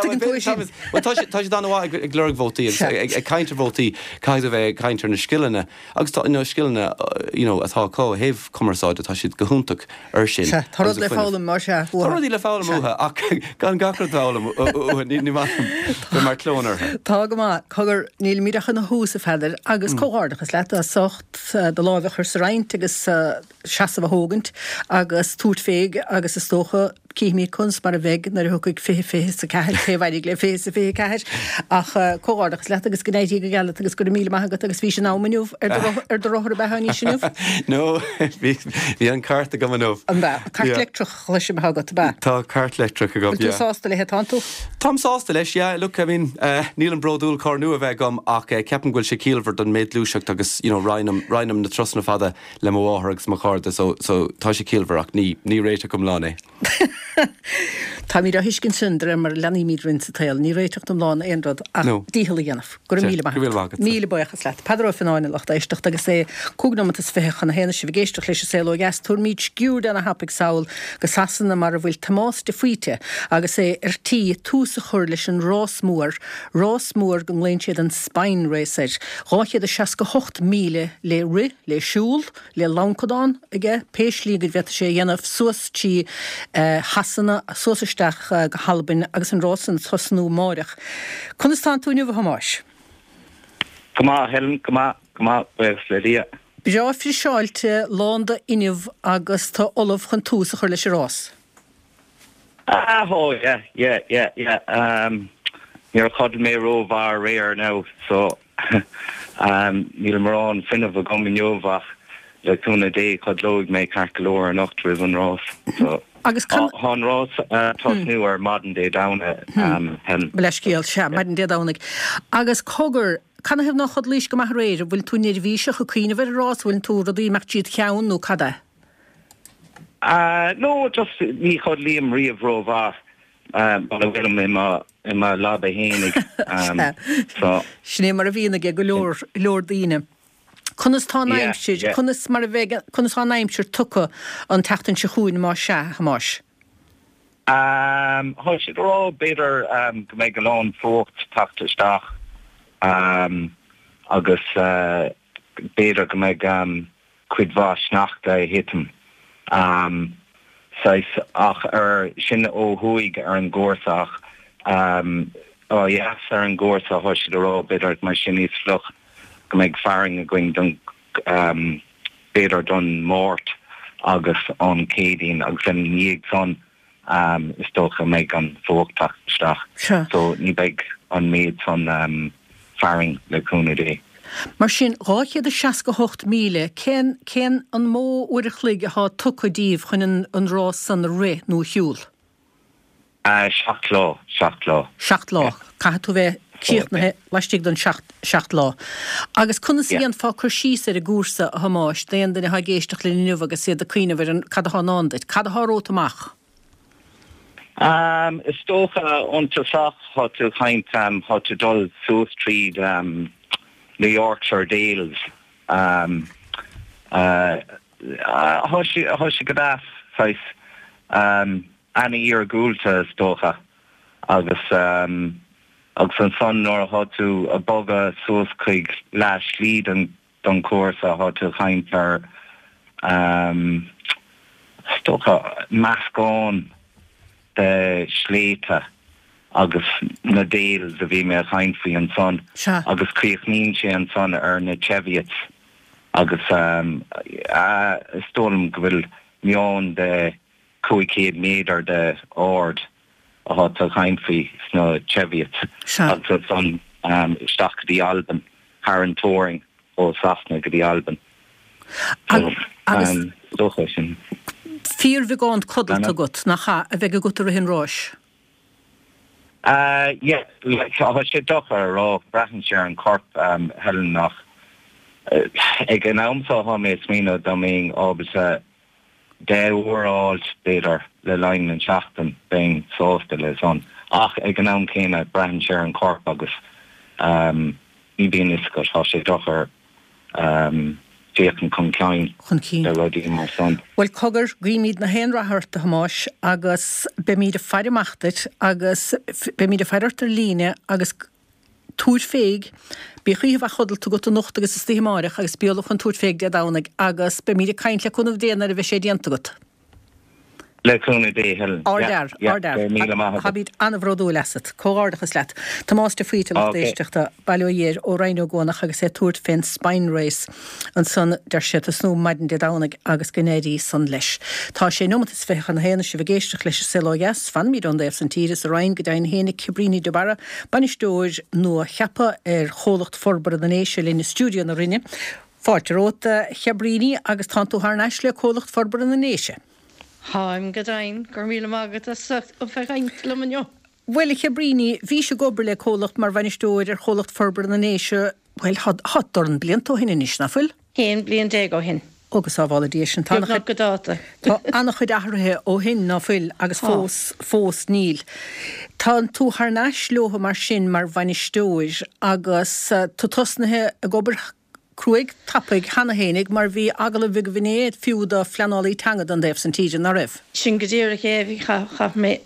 Tá tá siad an-mhaith ag lorg vótaí ag caint ar vótaí caithfidh a bheith ag caint ar na scileanna agus tá na scileanna you know atá acu ó thaobh cumarsáide atá siad go hiontach ar sin. Tá rud le foghlaim mar se Tá rudaí le foghlaim uathu ach gan gach rud foghlaim uathu ní mar clón orthu. Tá go maith cogar nílimid ach ina thús a Pheadair agus comhghairdeachas leat as ucht do lámh a chur sa roinnt agus seasamh a thógaint agus tabhairt fé agus is dócha cífimid conas mar a bheidh nuair a thiocfaidh fiche fiche is a ceathair cé bhailigh le fiche is a fiche ceathair ach comhghairdeachas leat agus go n-éirí go geal leat agus go raibh míle maith agat agus bhí sin am inniu ar ar do rothar ab ea níos inniu? No bhí bhí an cairt agam inniu. An bea? Cairt leictreach leis am agat ab ea? Tá cairt leictreach agam, yeah. Bhfuil tú sásta léi tánn tú? Táim sásta leis, yeah. Look, I mean, uh, nílim bródúil carr nua a bheith agam ach uh, ceapaim go bhfuil sé ciallmhar don méid gluaiseacht agus you know, roinnim roinnim na turasanna fada le mo mháthair agus mo chairde so, so tá sé ciallmhar ach ní ní réiteach iomlán é. Táimid á thuiscint sin de réir mar a leanaimid orainn sa tsaol, ní réiteach iomlán aon rud ach No. dícheall a dhéanamh. Go raibh míle maith Go raibh míle agat. maith agat. Míle buíochas leat. Peadar Ó Fionnáin a lucht éisteachta agus é cúig nóiméad is fiche chun a haon sibh ag éisteacht leis an Saol Ó Dheas tabharfaimid sciuird de na hapaí sall go Sasana mar a bhfuil Tomás de Faoite agus é ar tí tús a chur leis an rás mór, rás mór go nglaonn siad an Spine Race air. Dhá chéad is seasca hocht míle le rith, le siúl, le lancadán aige, pé slí go bhféadfadh sé a dhéanamh suas trí Shasana, suas isteach go hAlbain agus an rás ag tosnú amárach. Conas tánn tú inniu a Thomáis? Go maith, Helen, go maith, go maith, buíochas le Dia. Breá friseáilte, lán d'fhuinneamh agus tú ullamh chun tús a chur leis an rás. Ah, oh, yeah, yeah, yeah, yeah. Um, níor chodail mé rómhaith aréir now, so um, níl mórán fuinnimh agam inniu ach le cúnamh Dé codlóidh mé ceart go leor anocht roimh an rás. So, Agus can- Tá an rás uh, tosnú ar maidin Dé Domhnaigh um, Helen. Leithscéal sea, maidin Dé Domhnaigh. Agus cogar, canathaobh nár chodlaís go maith aréir, an bhfuil tú neirbhíseach ag cuimhneamh ar an rás, bhfuil tú rudaí ag imeacht tríd cheann nó cad é? Uh, no, just ní chodlaím riamh rómhaith um, muna bhfuilim i mo i mo leaba fhéinig. Um, so Sin é mar a bhíonn ag go leor leor daoine. Conas tá an Yeah, aimsir, yeah. conas mar a bheidh conas tá an aimsir tugtha an tseachtain seo chugainn má sea, a Thomáis. Um, Tá siad ag rá b'fhéidir um, go mbeidh go lán fuacht teacht isteach um, agus uh, b'fhéidir go mbeidh um, cuid mhaith sneachta ag titim. Um, saghas ach ar sin ó thuaidh ar an gcúrsa ach um, ó dheas ar an gcúrsa tá siad ag rá b'fhéidir mar sin níos fliuch go mbeidh fearthainn againn don um, b'fhéidir don Máirt agus an Chéadaoin agus ina dhiaidh san um, is dócha mbeidh an fuacht teacht isteach. Sure. So ní beidh an méid san um, fearthainn le cúnamh Dé. Mar sin dhá chéad is seasca hocht míle, cén cén an mó uair a chloig atá tugtha díbh chun an, an rás san a rith nó a shiúl? Uh, seacht lá, seacht lá. Seacht lá. Caithfidh tú bheith críochnaithe laistigh den seacht, seacht lá. Agus conas Yeah. a dhéanfá cur síos ar an gcúrsa a Thomáis, d'aon duine atá ag éisteacht linn inniu agus iad ag cuimhneamh ar an cad atá i ndán duit, cad atá romhat amach? Um, is dócha an tosach tá tú caint um, tá tú dul suas tríd um, na Yorkshire Dales. Um, uh, uh, Tá sé go deas saghas um, an-iargúlta is dócha agus um, Agus ansan nuair atá tú ag bogadh suas chuig leath slí den don cúrsa tá tú ag caint ar um, is dócha meascán de shléibhte agus na Dales a bhí mé ag caint faoi ansan agus críochnaíonn sé ansan ar na Cheviots agus um, uh, is dóigh liom go bhfuil meán de cúig chéad méadar de ard atá tú ag caint faoi sna Cheviots agus ansan um, isteach go dtí Albain thar an teorainn ó Sasana go dtí Albain. Agus um, dócha sin. Fíorbheagán codlata agat nach ea a bheidh agat i rith an ráis. Uh, yeah, like, tá sé deacair a rá braitheann sé ar an corp um, Helen ach uh, ag an am seo tá mé ag smaoineamh dá mbeinn ábalta deich uair a fháilt b'fhéidir le linn an seachtain bheinn sásta le san. Ach ag an am céanna braitheann sé ar an corp agus um, ní bíonn fhios agat tá sé deacair um, féachaint chun cinn Chun cinn. le rudaí mar san. Well cogar guímid na haon rath ort a Thomáis agus beimid ag faire amach duit agus beimid ag faire ort ar líne agus tabhair féig, bíodh oíche mhaith chodlata agat anocht agus istoíche amárach agus bí ullamh chun tabhairt féig Dé Domhnaigh agus beimid ag caint le cúnamh Dé nuair a bheidh sé déanta agat. Le cúnamh Dé Helen. Ardfhear, ardfhear. Míle maith. Táimid an-bhródúil asat, comhghairdeachas leat. Tomás de Faoite lucht éisteachta Baile Ó Dhéir ó Rinn Ó gCuanach agus é ag tabhairt fén Spine Race ansan deir sé tosnú maidin Dé Domhnaigh agus go n-éirí san leis. Tá sé nóimeat is fiche chun a haon sibh ag éisteacht leis an Saol Ó Dheas, fanfaimid ón dtaobh san tíre sa Rinn go deimhin féin Cabríní de Barra, bainisteoir nua-cheaptha ar Chomhlacht Forbartha na nDéise linn i stiúideo na Rinne. Fáilte romhat a Chabríní agus tánn tú thar n-ais le Comhlacht Forbartha na nDéise. Táim go deimhin go raibh míle maith agat as a bheith ag caint liom inniu. Bhuel a Chabríní, bhís ag obair le comhlacht mar bhainisteoir ar Chomhlacht Forbartha na nDéise, bhuel, tá dornán blianta ó shin anois, nach bhfuil? Aon bliain déag ó shin. Ó go sábhála Dia sinn. Tá Beagnach go dáta. Tá an-chuid athraithe ó shin ná fuil agus fós fós níl. Tá tú thar n-ais leo mar sin mar bhainisteoir agus tú tosnaithe ag obair cruaidh tapaidh cheana fhéinig mar bhí agallamh agaibh inné fiú do phleanálaí teanga don dtaobh san tíre, ná raibh? Sin go díreach é, bhí chaith mé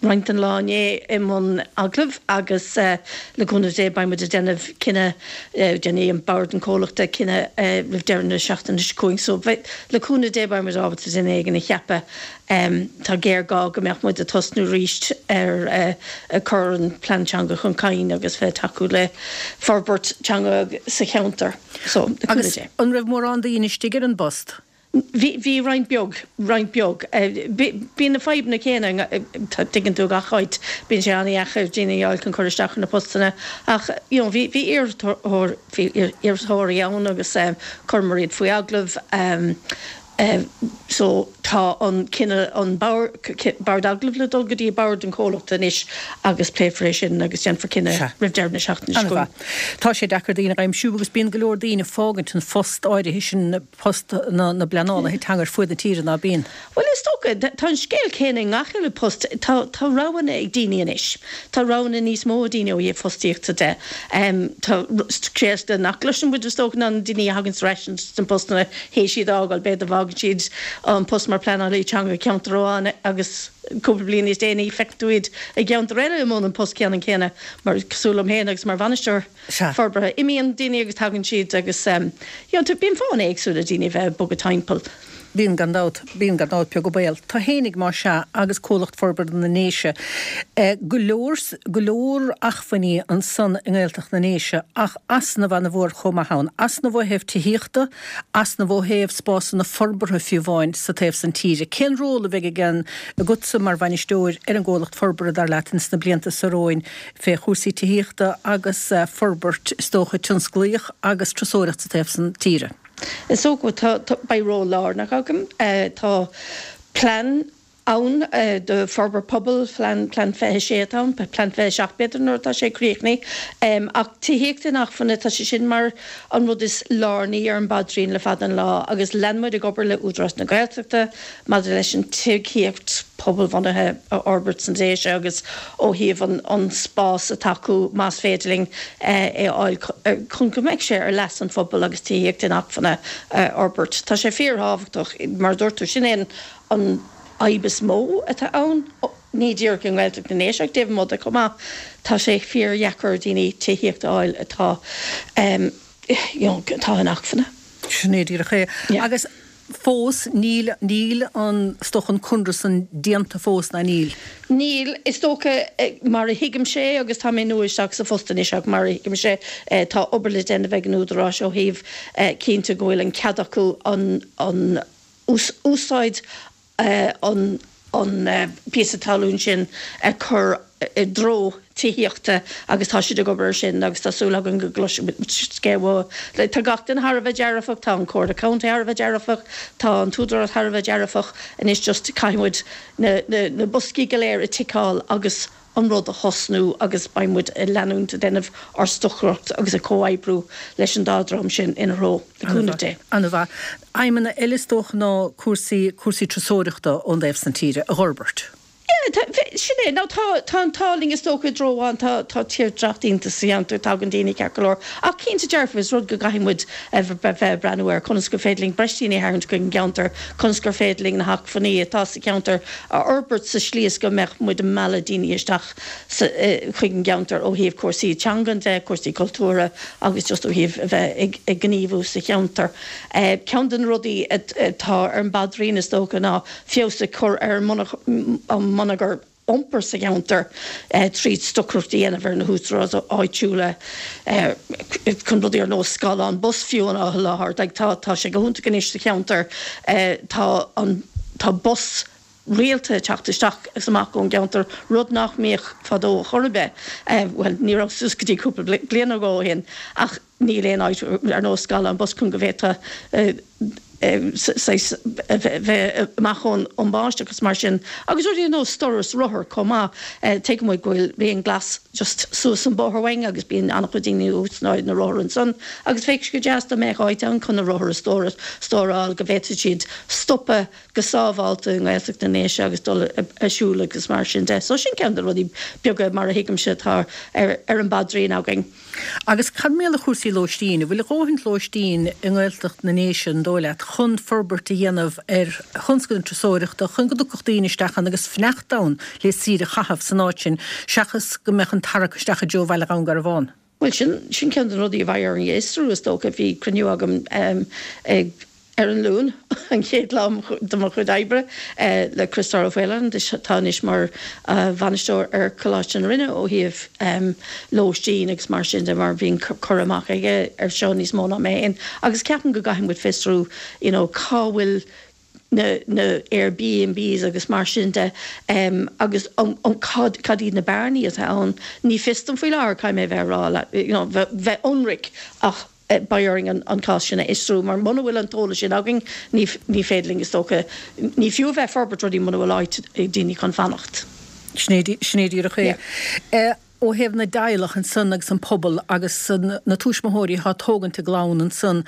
roinnt den lá inné i mbun agallamh agus le cúnamh Dé beidh muid ag déanamh cinneadh, déanfaidh an bord an comhlachta cinneadh roimh deireadh na seachtaine seo chugainn. So le cúnamh Dé beidh muid ábalta duine éigin a cheapadh. Tá géarghá go mbeadh muid ag tosnú arís ar cur an plean teanga chun cinn agus bheith ag tacú le forbairt teanga sa cheantar. So, le cúnamh Agus Dé. an raibh mórán daoine istigh ar an bpost? Bhí bhí roinnt beag, roinnt beag. Bíonn na fadhbanna céanna, tuigeann tú gach áit, bíonn sé an-dheacair daoine a fháil chun cur isteach ar na postanna ach you know bhí bhí iarrthóir bhí iarrthóirí ann agus chuireamar iad faoi agallamh. So tá an cinneadh an bord agallaimh le dul go dtí bord an chomhlachta anois agus pléifear é sin agus déanfar cinneadh roimh deireadh na seachtaine seo chugainn. Tá sé deacair daoine a aimsiú agus bíonn go leor daoine ag fágaint an phost áirithe sin, post na na bpleanálaithe teanga ar fuaid na tíre, ná bíonn? Bhuel is dócha, tá an scéal céanna i ngach uile post, tá tá roghanna ag daoine anois. Tá roghanna níos mó ag daoine ó thaobh fostaíochta de. Tá scéalta nach gcloiseann muid is dócha ná na daoine a thagann ar ais sna postanna théis iad a fhágáil, b'fhéidir fágann siad an post mar pleanálaí teanga i gceantar amháin agus cúpla bliain níos déanaí feiceann tú iad i gceantar eile i mbun an post ceannann céanna mar cosúil liom féin agus mar bhainisteoir forbartha. Imíonn daoine agus tagann siad agus you know bíonn fáthanna éagsúla daoine a bheith ag bogadh timpeall. Bíonn gan dabht, bíonn gan dabht beag go béal. Tú fhéinig más ea agus Comhlacht Forbartha na nDéise. Go leor, go leor achmhainní ansan i nGaeltacht na nDéise ach easnamh ana-mhór chomh maith ann. Easnamh ó thaobh tithíochta, easnamh ó thaobh spásanna forbartha fiú amháin sa taobh san tíre. Cén ról a bheidh ag an, agatsa mar bhainisteoir ar an gComhlacht Forbartha dar leat ins na blianta seo romhainn fé chúrsaí tithíochta agus forbairt is dócha tionsclaíoch agus turasóireacht sa taobh san tíre? Is dócha tá, tá, beidh ról lárnach agam. Tá plean ann do forbairt pobail, plean, plean fiche sé atá ann, plean fiche seacht b'fhéidir nuair atá sé críochnaithe. Ach tithíocht inacmhainne, tá sé sin mar an rud is lárnaí ar an bpaidrín le fada an lá agus lean muid ag obair le Údarás na Gaeltachta maidir leis an tithíocht pobalbhunaithe a fhorbairt sna Déise agus ó thaobh an an spás atá acu más féidir linn é a fháil chun go mbeidh sé ar leas an phobail agus tithíocht inacmhainne a fhorbairt. Tá sé fíorthábhachtach, mar a dúirt tú, sin é an fhadhb is mó atá ann ní díreach i nGaeltacht na nDéise ach taobh amuigh de chomh maith, tá sé fíordheacair ar daoine tithíocht a fháil atá you know atá inacmhainne. Sin é díreach é. Agus fós níl, níl an, is dócha an conradh san déanta fós, ná níl? Níl, is dócha, mar a thuigimse é, agus tá mé nua isteach sa phost anois ach mar a thuigimse é, tá obair le déanamh ag an Údarás ó thaobh cinntiú go bhfuil an cead acu an, an úsáid an, an píosa talún sin a chur i dtreo tithíochta agus tá siad ag obair ar sin agus tá súil againn go gcloisfidh muid scéal uathu. Tá gach duine thar a bheith dearfach, tá an Comhairle Contae thar a bheith dearfach, tá an tÚdarás thar a bheith dearfach, anois just caithfidh muid na na na boscaí go léir a ticeáil agus an rud a thosnú agus beidh muid ag leanúint ag déanamh ár stocaireacht agus ag comhoibriú leis an dá dhream sin ina threo, le cúnamh Dé. An-mhaith. Aidhmeanna eile is dócha ná cúrsaí, cúrsaí turasóireachta ón dtaobh san tíre a dh'fhorbairt. Yeah, tá, sin é. Now tá, tá an t-ádh linn is dócha i dtreo amháin, tá, tá tírdhreach iontach sa cheantar, tagann daoine ceart go leor. Ach cinnte dearfa is rud go gcaithfidh muid a bheith ag breathnú air, conas gur féidir linn breis daoine a tharraingt chuig an gceantar, conas gur féidir linn na hacmhainní atá sa cheantar a fhorbairt sa slí is go mbeadh muid ag mealladh daoine isteach sa, chuig an gceantar ó thaobh cúrsaí teangan de, cúrsaí cultúrtha agus just ó thaobh a bheith ag, ag gníomhú sa cheantar. Ceann de na rudaí atá ar an bpaidrín is dócha ná feabhas a chur ar an mbonneagar iompair sa cheantar tríd stocaireacht a dhéanamh ar na húdaráis áitiúla chun rudaí ar nós scáileán bus fiú a sholáthar. Tá tá sé go hiontach anois sa cheantar tá an tá bus rialta ag teacht isteach is amach ón gceantar, rud nach mbíodh fadó chor ar bith, bhuel ní raibh suas go dtí cúpla bliain ó shin ach níl aon áit ar nós scáileán bus chun go bhféadfá saghas bheith amach ón mbáisteach agus mar sin. Agus rudaí ar nós stóras rothar chomh maith. Tuigeann muid go bhfuil raon glas just suas an bóthar uainn agus bíonn an-chuid daoine ag úsáid na rothar ansan agus bheadh sé go deas dá mbeadh áit ann chun na rothair a stóráil go bhféadfadh siad stopadh go sábháilte i nGaeltacht na nDéise agus dul ag siúl agus mar sin de. So sin ceann de na rudaí beaga mar a thuigimse atá ar an bpaidrín againn. Agus cad mar gheall ar chúrsaí lóistín? An bhfuil a dhóthain lóistín i nGaeltacht na nDéise, an dóigh leat, chun forbairt a dhéanamh ar thionscal na turasóireachta, chun go dtiocfadh daoine isteach ann agus fanacht ann le saoire a chaitheamh san áit sin, seachas go mbeadh an tarrac isteach i dtreo Bhaile Dhún Garbhán? Bhuel, sin, sin ceann de na rudaí a bheidh orainn a fhiosrú, is dócha. Bhí cruinniú agam ag. Ar an Luan, an chéad lá de mo chuid oibre, le Criostóir Ó Faoláin, atá anois mar bhainisteoir ar Choláiste na Rinne ó thaobh lóistín agus mar sin de mar bíonn cur amach aige ar seo níos mó ná mé féin agus ceapaim go gcaithfidh muid fiosrú you know cá bhfuil na na Airbnbs agus mar sin de agus um um cad cad iad na bearnaí atá ann. Ní fios dom faoi láthair, caithfidh mé a bheith a rá leat, you know bheith ionraic ach beidh orainn an cás sin a fhiosrú mar muna bhfuil an t-eolas sin againn ní ní féidir linn is dócha, ní fiú a bheith ag forbairt rudaí muna bhfuil áit ag daoine chun fanacht. Sin é sin é díreach é. Yeah. Ó thaobh na dteaghlach ansan agus an pobal agus na tuismitheoirí atá ag tógaint a gclann ansan,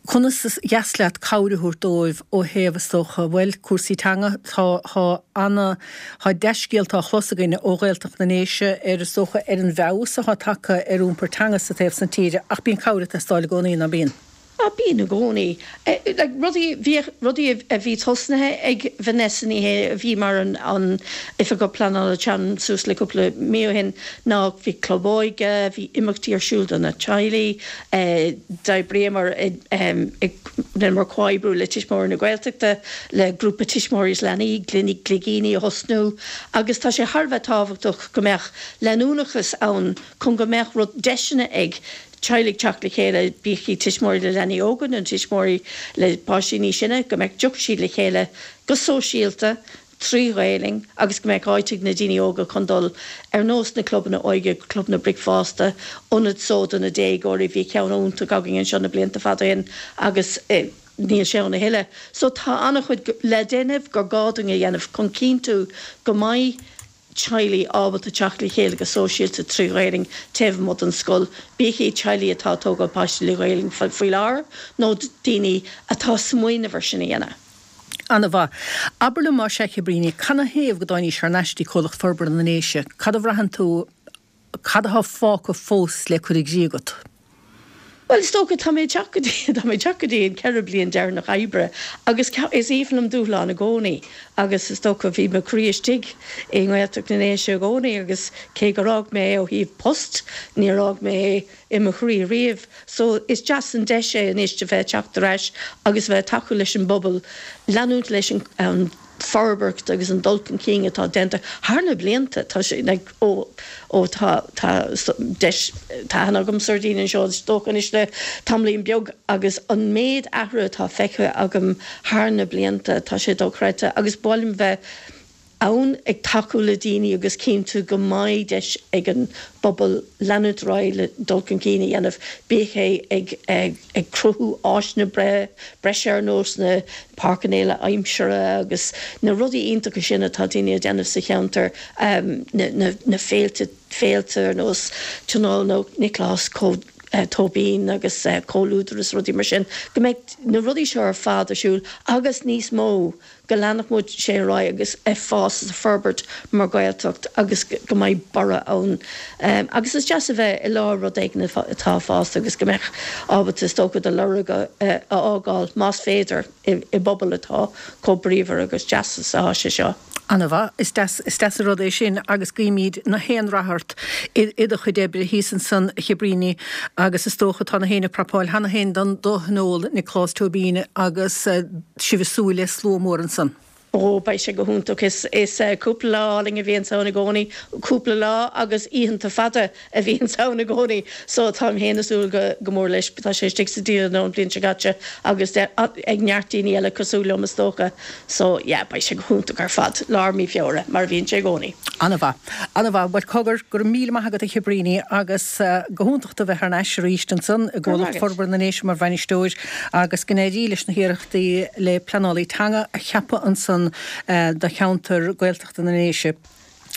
Conas is dheas leat cabhair a thabhairt dóibh ó thaobh, is dócha, bhuel, cúrsaí teanga, tá, tá ana, tá dea-scéalta á chlos againn ó Ghaeltacht na nDéise ar, is dócha, ar an bhfeabhas atá tagtha ar iompar teanga sa taobh san tíre ach bíonn cabhair ag teastáil i gcónaí, ná bíonn? Á, bíonn i gcónaí. Like, rudaí, bhíodh rudaí a bhí tosnaithe ag Vanessa Ní Shé a bhí mar an, an Oifigeach Pleanála Teanga suas le cúpla mí ó shin ná bhí club óige, bhí imeachtaí ar siúl do na teaghlaigh, D'oibríomar rinneamar comhoibriú le Tuismitheoirí na Gaeltachta, le grúpa tuismitheoirí is leanaí, Gligíní a thosnú agus tá sé thar a bheith tábhachtach go mbeadh leanúnachas ann chun go mbeadh rud, deiseanna ag teaghlaigh teacht le chéile, bíodh iad tuismitheoirí le leanaí óga nó tuismitheoirí le páistí níos sine, go mbeadh, dtiocfadh siad le chéile go sóisialta, trí Ghaelainn agus go mbeadh áit ag na daoine óga chun dul ar nós na clubanna óige, clubanna bricfeasta, ionad só do na déagóirí, bhí ceann iontach againn anseo na blianta fada ó shin agus níl sé ann a thuilleadh. So tá an-chuid le déanamh, gur gá dúinn a dhéanamh chun cinntiú go mbeidh teaghlaigh ábalta teacht le chéile go sóisialta trí Ghaelainn taobh amuigh den scoil, bíodh iad teaghlaigh atá ag tógáil páistí le Gaelainn faoi láthair nó daoine atá ag smaoineamh ar sin a dhéanamh. Ana-mhaith. Abair liom más ea, a Chabríní, canathaobh go dtáinís thar n-ais dtí Comhlacht Forbartha na nDéise? Cad a bhraitheann tú, cad athá fágtha fós le cur i gcrích agat? Bhuel, is dócha, tá mé ag teacht go dtí, tá mé ag teacht go dtí an ceithre bliain deireanach oibre agus is aoibhinn liom dúshlán i gcónaí agus is dócha bhí mo chroí istigh i nGaeltacht na nDéise i gcónaí agus cé gur fhág mé é ó thaobh post, níor fhág mé é i mo chroí riamh. So is deas an deis é anois a bheith ag teacht ar ais agus a bheith ag tacú leis an bpobal leanúint leis an forbairt agus an dul chun cinn atá déanta thar na blianta. Tá sé like ó ó tá tá deis tá aithne agamsa ar dhaoine anseo is dócha anois le tamaillín beag agus an méid athrú atá feicthe agam thar na blianta tá sé dochreidte agus ba mhaith liom bheith ann ag tacú le daoine agus cinntiú go mbeidh deis ag an bpobal leanúint ar aghaidh le dul chun cinn a dhéanamh, bíodh é ag ag cruthú áiseanna breise ar nós na páirceanna aimsire agus na rudaí iontacha sin atá daoine a déanamh sa cheantar, na na féilte féilte ar nós Tionól Nioclás Tóibín agus Comhluadar is rudaí mar sin, go mbeidh na rudaí seo ar fad ar siúl agus níos mó. go leanfadh muid sé ar aghaidh agus ag fás is ag forbairt mar Ghaeltacht agus go mbeidh borradh ann. Agus is deas a bheith i lár rud éigin atá ag fás agus go mbeadh ábalta is dócha do lorg a fhágáil más féidir i bpobal atá chomh bríomhar agus deas is atá sé seo. Ana-mhaith. Is deas, is deas an rud é sin agus guímid na haon rath ort i do chuid oibre thíos ansan a Chibríní agus is dócha tá na héinne ag prapáil cheana féin don do thionól Nioclás Tóibín agus sibh ag súil le slua mór ansan. Ó, beidh sé go hiontach. Is is cúpla lá álainn a bhíonns ann i gcónaí, cúpla lá agus oícheanta fada a bhíonns ann i gcónaí. So táim féin ag súil go go mór leis. Tá sé istigh sa dialann ón bhliain seo caite agus ag neart daoine eile cosúil liom is dócha. So yeah, beidh sé go hiontach ar fad, lár mí Feabhra, mar a bhíonn sé i gcónaí. Ana-mhaith. Ana-mhaith. Bhuel, cogar, go raibh míle maith agat a Chibríní agus go hiontach tú a bheith thar n-ais arís ansan i gComhlacht Forbartha na nDéise mar bhainisteoir agus go n-éirí leis na hiarrachtaí le pleanálaí teanga a cheapadh ansan do cheantar Gaeltachta na nDéise.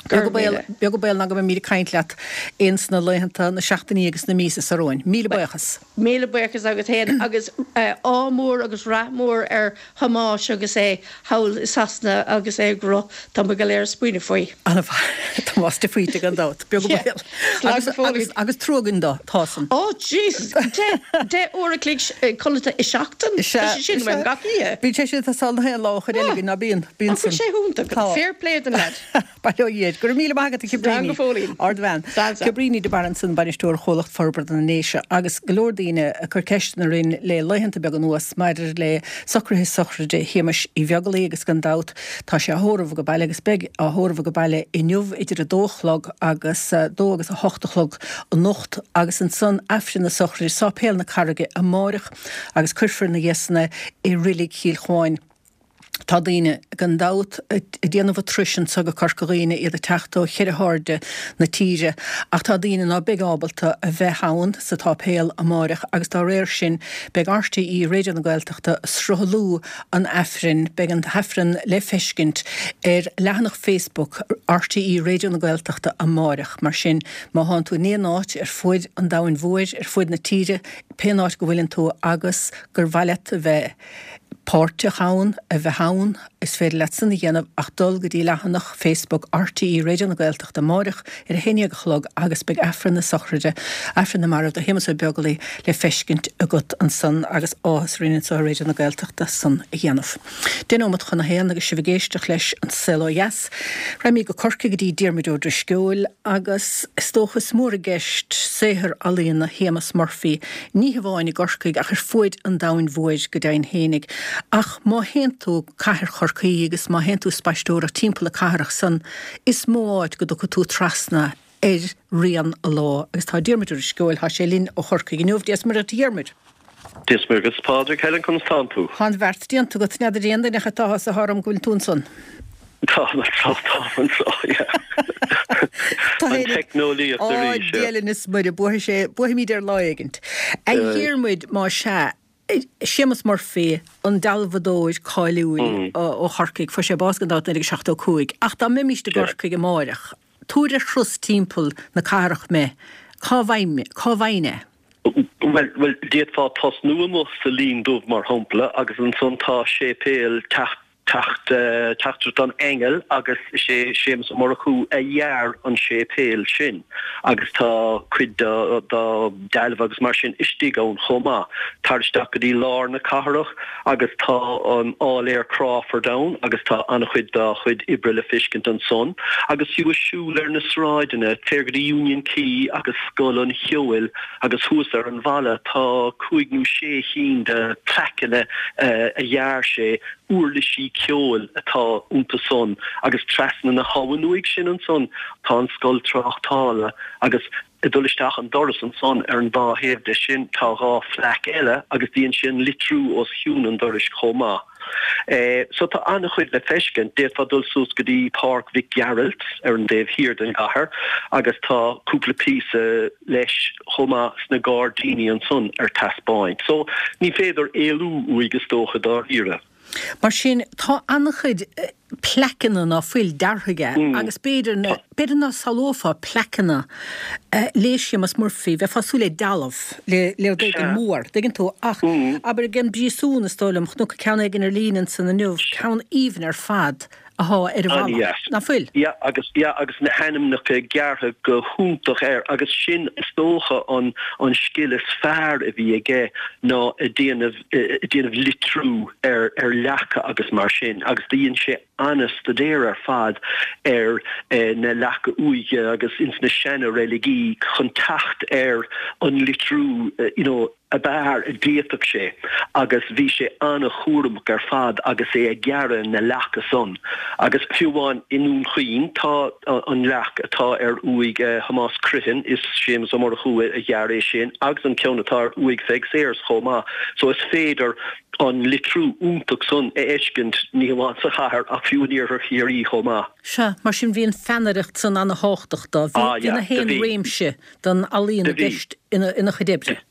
Beag an baol, beag an baol ná go mbeimid ag caint leat ins na laethanta, na seachtainí agus na míosa seo romhainn. Míle buíochas. Míle buíochas agat féin agus ádh mór agus rath mór ar Thomás agus é thall i Sasana agus é ag rith. Tá muid go léir ag smaoineamh faoi. Ana-mhaith. Tomás de Faoite gan dabht. Beag an baol. Slán go fóill. Agus trua againn dó, tá san. Ó Jesus! Deich uair a chloig codlata i seachtain? Tá sé sin uaim gach oíche. Bíonn sé sin ag teastáil na haon lá ó chuid eile againn, ná bíonn? Bíonn san. Ach bhfuil sé iontach. Fair play don leaid. Bail ó Dhia air. Go raibh míle maith agat a Slán Chibríní. go fóillín. Ardbhean. Slán san. Cibríní de Barra ansan, Bainisteoir Chomhlacht Forbartha na nDéise agus go leor daoine ag cur ceisteanna orainn le laethanta beaga anuas maidir le socruithe sochraide Shéamais Uí Bheaglaoí agus gan dabht tá sé á thórramh age baile agus beidh á thórramh age baile inniu idir a dó a chlog agus a dó agus a hocht a chlog anocht agus ansan Aifreann na sochraide i Sáipéal na Carraige amáireach agus cuirfear ina dhiaidh san é i Reilig Chill Chuáin. Tá daoine, gan dabht, ag déanamh an turais anso go Corca Dhuibhne, iad ag teacht ó cheithre hairde na tíre, ach tá daoine ná beidh ábalta a bheith ann sa tsáipéal amáireach agus dá réir sin beidh RTÉ Raidió na Gaeltachta ag sruthlú an Aifrinn. Beidh an tAifreann le feiscint ar leathanach Facebook RTÉ Raidió na Gaeltachta amáireach. Mar sin, má thánn tú in aon áit ar fuaid an domhain mhóir, ar fuaid na tíre, pén áit go bhfuileann tú agus gur mhaith leat a bheith páirteach ann, a bheith ann, is féidir leat san a dhéanamh ach dul go dtí leathanach Facebook RTÉ Raidió na Gaeltachta amáireach ar a haon déag a chlog agus beidh Aifreann na sochraide, Aifreann na Marbh do Shéamus Ó Beaglaoí le feiscint agat ansan agus áthas orainn anseo i Raidió na Gaeltachta san a dhéanamh. Deich nóimeat chun a haon agus sibh ag éisteacht leis An Saol Ó Dheas. Raghaimid go Corcaigh go dtí Diarmuid Ó Drisceoil agus is dócha is mór i gceist saothar ealaíona Shéamus Murphy, ní hamháin i gCorcaigh ach ar fuaid an domhain mhóir go deimhin fhéinig. Ach má théann tú cathair Chorcaí agus má théann tú spaisteoireacht timpeall na cathrach san, is mó áit go dtiocfaidh tú trasna ar rian a lámh. Agus tá Diarmuid Ó Drisceoil, tá sé linn ó Chorcaigh inniu. Dia 's Muire dhuit a Dhiarmuid. Dia 's Muire dhuit a Phádraig, Helen, conas tánn tú? Tá an bheart déanta agat, n'fheadar aon duine ach an t-áthas atá orm go bhfuil tú ansan. Táim anso, táim anso, yeah. An teicneolaíocht arís, yeah. Á, Dia linn is Muire, buafaidh sé, buafaimid air lá éigint. A Dhiarmuid, más ea, Séamus Murphy, an dealbhadóir cáiliúil ó Chorcaigh, fuair sé bás gan dabht i naoi déag seachtó cúig, ach dá mbeimíst i gCorcaigh amáireach, tabhair ar thuras timpeall na cathrach mé, cá bhfaighinn é? Bhuel, bhuel, d'fhéadfá tosnú amuigh sa Linn Dubh, mar shampla, agus ansan tá séipéal Teach Teacht Teachtaireacht an Aingil agus is é Séamus Ó Murchú a dhear an séipéal sin agus tá cuid dá dealbha agus mar sin istigh ann chomh maith. Tar isteach go dtí lár na cathrach agus tá an Áiléar Crawford ann agus tá an-chuid dá chuid oibre le feiscint ansan. Agus fiú ag siúl ar na sráideanna, téir go dtí Union Quay agus Scoil an Cheoil agus thuas ar an bhalla tá cúig nó sé chinn de plaiceanna a dhear sé, uirlisí ceoil atá iontu san agus trasna na habhann uaidh sin ansan tá an Scoil Tráchtála agus ag dul isteach an doras ansan ar an dá thaobh de sin tá dhá phlaic eile agus dhein sé an litriú os cionn an dorais chomh maith. So tá an-chuid le feiscint. D'fhéadfá dul suas go dtí Páirc Mhic Gearailt ar an dtaobh thiar den gcathair agus tá cúpla píosa leis chomh maith sna gairdíní ansan ar taispeáint. So ní féidir éalú uaidh is dócha dáiríre. Mar sin, tá an-chuid plaiceanna ná fuil deartha aige agus b'fhéidir, b'fhéidir ná samhlófá plaiceanna le Séamus Murphy, bheifeá ag súil le dealbh, le le rud éigin mór, tuigeann tú, ach abair ag an bpríosún is dóigh liom, chonac ceann éigin ar líne ansan inniu, ceann aoibhinn ar fad athá ar an bhalla, ná fuil? Yeah, agus, yeah, agus na hainmneacha gearrtha go hiontach air agus sin is dócha an, an scil is fearr a bhí aige ná ag déanamh, ag déanamh litriú ar, ar leaca agus mar sin agus do dhein sé an-staidéar ar fad ar na leaca uaighe agus ins na seana-reiligí chun teacht ar an litriú, you know, ab fhearr a d'fhéadfadh sé agus bhí sé an-chúramach ar fad agus é ag gearradh na leaca san. Agus fiú amháin i nDún Chaoin tá an leac atá ar uaigh Thomás Criomhthain, is Séamus Ó Murchú a ghearr é sin, agus an ceann atá ar uaigh Pheig Sayers chomh maith. So is féidir an litriú iontach san a fheiscint ní hamháin sa chathair ach fiú in iarthar Chiarraí chomh maith. Sea, mar sin bhí an pheannaireacht san ana-thábhachtach dó. Bhí na haon réimse den ealaíon i gceist ina chuid oibre.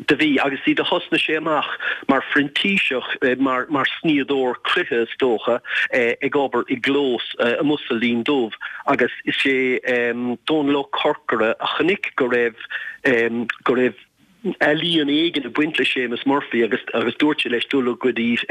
Do bhí, agus do thosnaigh sé amach mar phrintíseach, mar mar snoíodóir cloiche is dócha, ag obair i gclós amuigh sa Linn Dubh agus is é Dónal Ó Corcora a chonaic go raibh go raibh ealaíon éigin ag baint le Séamus Murphy agus agus dúirt sé leis dul go dtí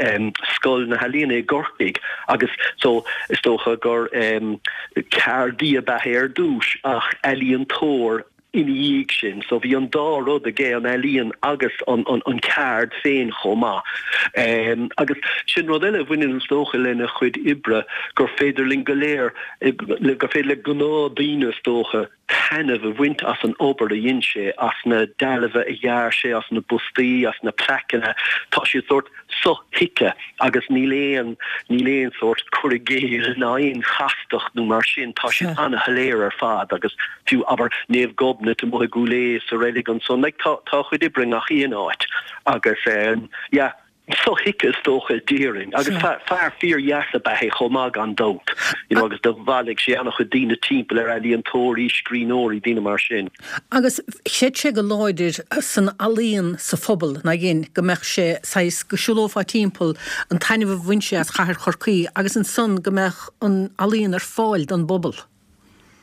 Scoil na hEalaíona i gCorcaigh agus so is dócha gur ceardaí ab ea é ar dtús ach ealaíontóir ina dhiaidh sin. So bhí an dá rud aige, an ealaíon agus an an ceard féin chomh maith. Agus sin rud eile a bhaineann is dócha lena chuid oibre, gur féidir linn go léir, gur féidir le gnáthdaoine is dócha, taitneamh a bhaint as an obair a dhein sé, as na dealbha a dhear sé, as na bustaí, as na plaiceanna. Tá siad sórt sothuigthe agus níl aon, níl aon sórt cur i gcéill ná aon chastacht nó mar sin, tá siad ana-shoiléir ar fad agus fiú, abair, Naomh Gobnait amuigh i gCúil Aodha sa reilig ansan, like tá, tá a chuid oibre i ngach aon áit agus eh yeah, sothuigthe is dócha déarfainn agus fear fíor-dheas ab ea é chomh maith gan dabht, you know agus do bhailigh sé an-chuid daoine timpeall air, ealaíontóirí, scríbhneoirí, daoine mar sin. Agus chreid sé go láidir san ealaíon sa phobal, nár dhein, go mbeadh sé saghas, go siúlófá timpeall, an taitneamh a bhain sé as chathair Chorcaí agus ansan go mbeadh an ealaíon ar fáil don bpobal.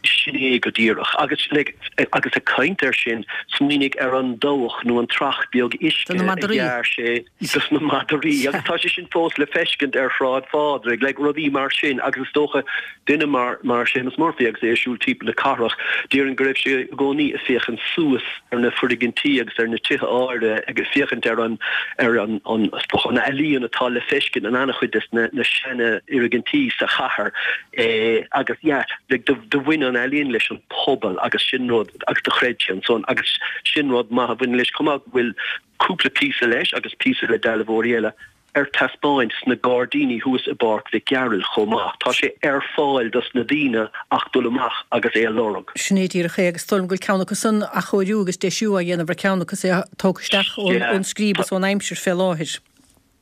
Sin é go díreach. Agus, like, agus ag caint air sin, smaoinigh ar an dabhach nó an trach beag uisce Do na a madraí. dhear sé dos na madraí. Agus tá sé sin fós le feiscint ar Shráid Phádraig, like, rudaí mar sin. Agus is dócha, duine mar, mar Séamus Murphy agus é ag siúl timpeall na cathrach, déarfainn go raibh sé i gcónaí ag féachaint suas ar na foirgintí agus ar na tithe áirithe, ag féachaint ar an, ar an, an, is dócha, an ealaíon atá le feiscint in an-chuid des na, na seana-fhoirgintí sa chathair. Eh, agus, yeah, like, do, do bhain an ealaíon leis an pobal agus sin rud, agus do chreid sé ansan, agus sin rud maith a bhaineann leis chomh maith, go bhfuil cúpla píosa leis agus píosa le dealbhóirí eile ar taispeáint sna gairdíní thuas i bPáirc Mhic Gearailt chomh maith. Tá sé ar fáil dos na daoine ach dul amach agus é a lorg. Sin é díreach é agus is dóigh liom go bhfuil ceann acu san athchóiriú agus deisiú á dhéanamh ar ceann acu is é tógtha isteach ón scríb is ón aimsir fé láthair.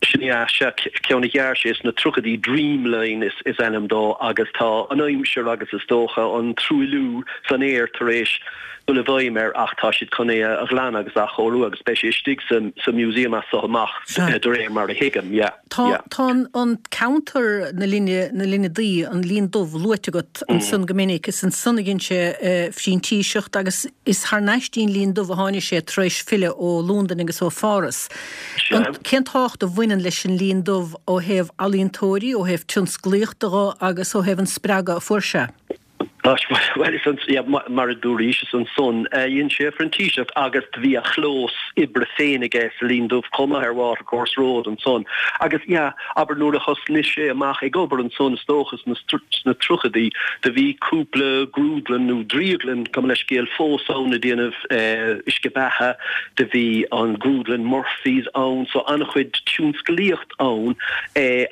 Sin é, sea, ceann a dhear sé sna tríochaidí, Dreamline is ainm dó, agus tá an aimsir agus is dócha an truailliú san aer tar éis dul i bhfeidhm air ach tá siad chun é a ghlanadh agus a athchóiriú agus beidh sé istigh sa museum as so amach de réir mar a thuigim, yeah, yeah. Tá an ceantar na Linne, na Linne Duí, an Linn Dubh luaite agat ansan go minic, is ansan a dhein sé phrintíseacht agus is thar n-ais dtí'n Linn Dubh a tháinig sé tar éis filleadh ó Londain agus ó Pháras. Cén tábhacht a bhain bhaineann leis an Linn Dubh ó thaobh ealaíontóirí, ó thaobh tionsclaíochta dho agus ó thaobh an spreagadh a fuair sé. Bhuel, is an, yeah, mar a dúraís, is ansan a dhein sé a phrintíseacht agus do bhí a chlós oibre féin aige sa Linn Dubh chomh maith ar Watercourse Road ansan. Agus, yeah, abair nuair a thosnaigh sé amach ag obair ansan is dócha sna, sna tríochaidí, do bhí cúpla grúdlann nó drioglann, gabh mo leithscéal, fós ann ag déanamh uisce beatha, do bhí an grúdlann Murphy's ann, so an-chuid tionsclaíocht ann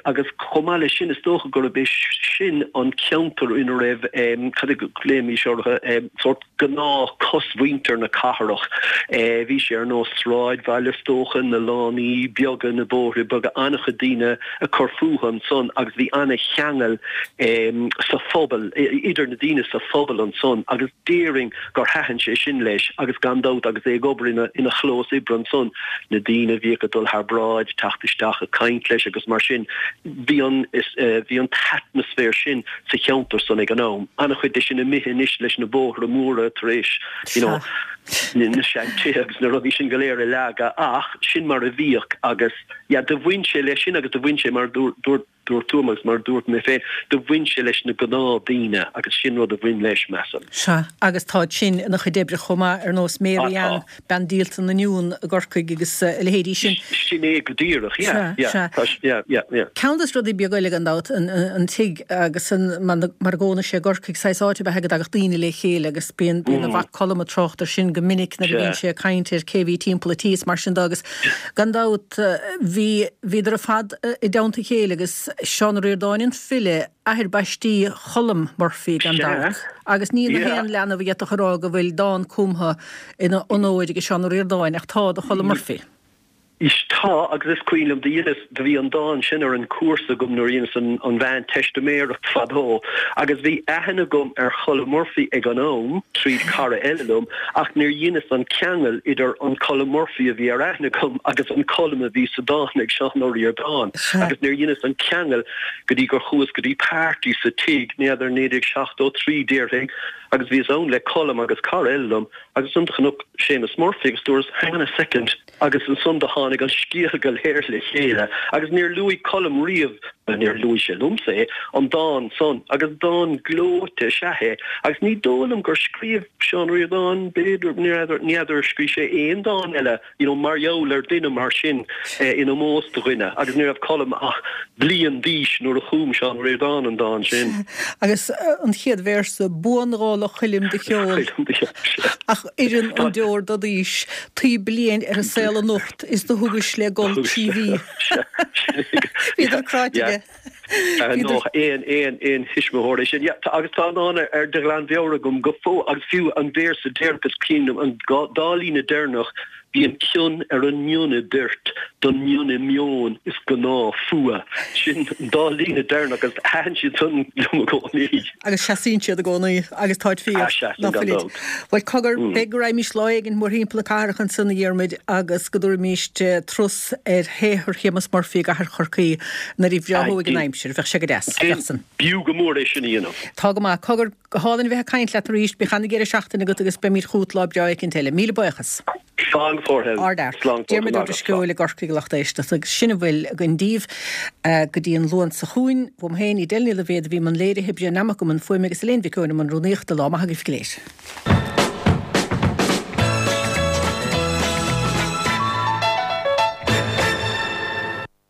agus chomh maith leis sin is dócha gurb é sin an ceantar ina raibh, cad a ghlaoimis orthu, sórt gnáth cosmhuintir na cathrach. Bhí sé ar nós sráidbhaile is dócha, na lánaí beaga, na bóithre beaga, an-chuid daoine ag cur fúthu ansan agus bhí an-cheangal sa phobal, idir na daoine sa phobal ansan agus déarfainn gur thaitin sé sin leis agus gan dabht agus é ag obair ina ina chlós oibre ansan, na daoine a bhíodh ag dul thar bráid, ag teacht isteach ag caint leis agus mar sin, bhí an bhí an t-atmaisféar sin sa cheantar san ag an am. An-chuid de sin imithe anois leis na bóithre móra tar éis you know na seantithe agus na rudaí sin go léir a leagadh ach sin mar a bhíodh agus yeah do bhain sé leis sin agus do bhain sé mar dúirt dúirt tú agus mar dúirt mé féin do bhain sé leis na gnáthdaoine agus sin rud a bhain leis measaim. Sea, agus tá sin ina chuid oibre chomh maith ar nós Mary Ann, bean díolta na n-uan i gCorcaigh agus a leithéidí sin. Sin é go díreach, yeah, yeah, tá, yeah, yeah, yeah. Ceann de na rudaí beaga eile gan dabht, an tigh agus an, mar a gcónaigh sé i gCorcaigh, saghas áit ab ea go dtagadh daoine le chéile agus bíonn, bíonn a mhac Colm ag trácht air sin go minic nuair a bhíonn sé ag caint ar cé a bhí timpeall an tí is mar sin de agus gan dabht bhí, bhíodar ar fad i dteannta a chéile agus Seán Ó Ríordáin an file, athair baistí Cholm Murphy gan dabht. Agus ní na haon leanbh a d'fhéadfadh a rá go bhfuil dán cumtha ina onóir ag Seán Ó Ríordáin ach tá do Cholm Murphy. Is tá, agus is cuimhin liom, do dheineas, do bhí an dán sin ar an cúrsa agam nuair a dheineas an, an mheánteistiméireacht fadó, agus bhí aithne agam ar Cholm Murphy ag an am, tríd cara eile liom, ach níor dheineas an ceangal idir an Colm Murphy a bhí ar aithne agam agus an Colm a bhí sa dán ag Seán Ó Ríordáin. Agus níor dheineas an ceangal go dtí gur chuas go dtí party sa tigh, n'fheadar, naoi déag seachtó trí déarfainn, agus bhíos ann le Colm agus cara eile liom, agus ansan do chonac Séamus Murphy agus dúras, hang on a second, agus ansan do tháinig an scéal go léir le chéile agus níor luaigh Colm riamh, bhuel níor luaigh sé liomsa é, an dán san agus dán gleoite is ea é agus ní dóigh liom gur scríobh Seán Ó Ríordáin, b'fhéidir, ní fheadar, ní fheadar ar scríobh sé aon dán eile you know mar gheall ar dhuine mar sin in ómós do dhuine agus ní raibh Colm ach bliain d'aois nuair a chum Seán Ó Ríordáin an dán sin. Agus an chéad véarsa, Buanghála Choilm do cheol, ach oireann an deor do d'aois, taoi bliain ar an saol anocht is do thugais le gol trí mhí. Bhíodar cráite aige. Nó aon aon aon thuismitheoir é sin. Yeah, agus tá an dán ar de ghlanmheabhair agam go fóill agus fiú an véarsa deireanach is cuimhin liom an dá líne deireanach Bíonn cion ar an mion i dtoirt don mion i meon is gnáth fuath. Sin an dá líne deireanach agus thaitin siad san liom i gcónaí. Agus seasaíonn siad i gcónaí agus táid fíor, Ah, seasann ná gan fuilid. dabht. Bhuel, cogar, beidh go raghaimís lá éigin mórthimpeall na cathrach ansan, a Dhiarmuid, agus go dtabharfaimís turas ar shaothar Shéamus Murphy i gcathair Chorcaí nuair a bhreáthóidh an aimsir. Bheadh sé go deas. Bheadh san. B'fhiú go mór é sin a dhéanamh. Tá go maith. Cogar, go hálainn a bheith ag caint leat arís. Bíodh an-deireadh seachtaine agat agus beimid chugat lá breá éicint eile. Míle buíochas. Slán go fóill. Ardfhear. Slán go fóill. Diarmuid Ó Drisceoil i gCorcaigh a lucht éisteachta agus sin a bhfuil againn daoibh go dtí an Luan seo chugainn. Uaim féin, Edel Ní Loibhéad a bhí i mbun léirithe, Brian Nammock i mbun fuaime agus Elaine Mhic Eoin i mbun rúnaíochta. Lá maith agaibh go léir.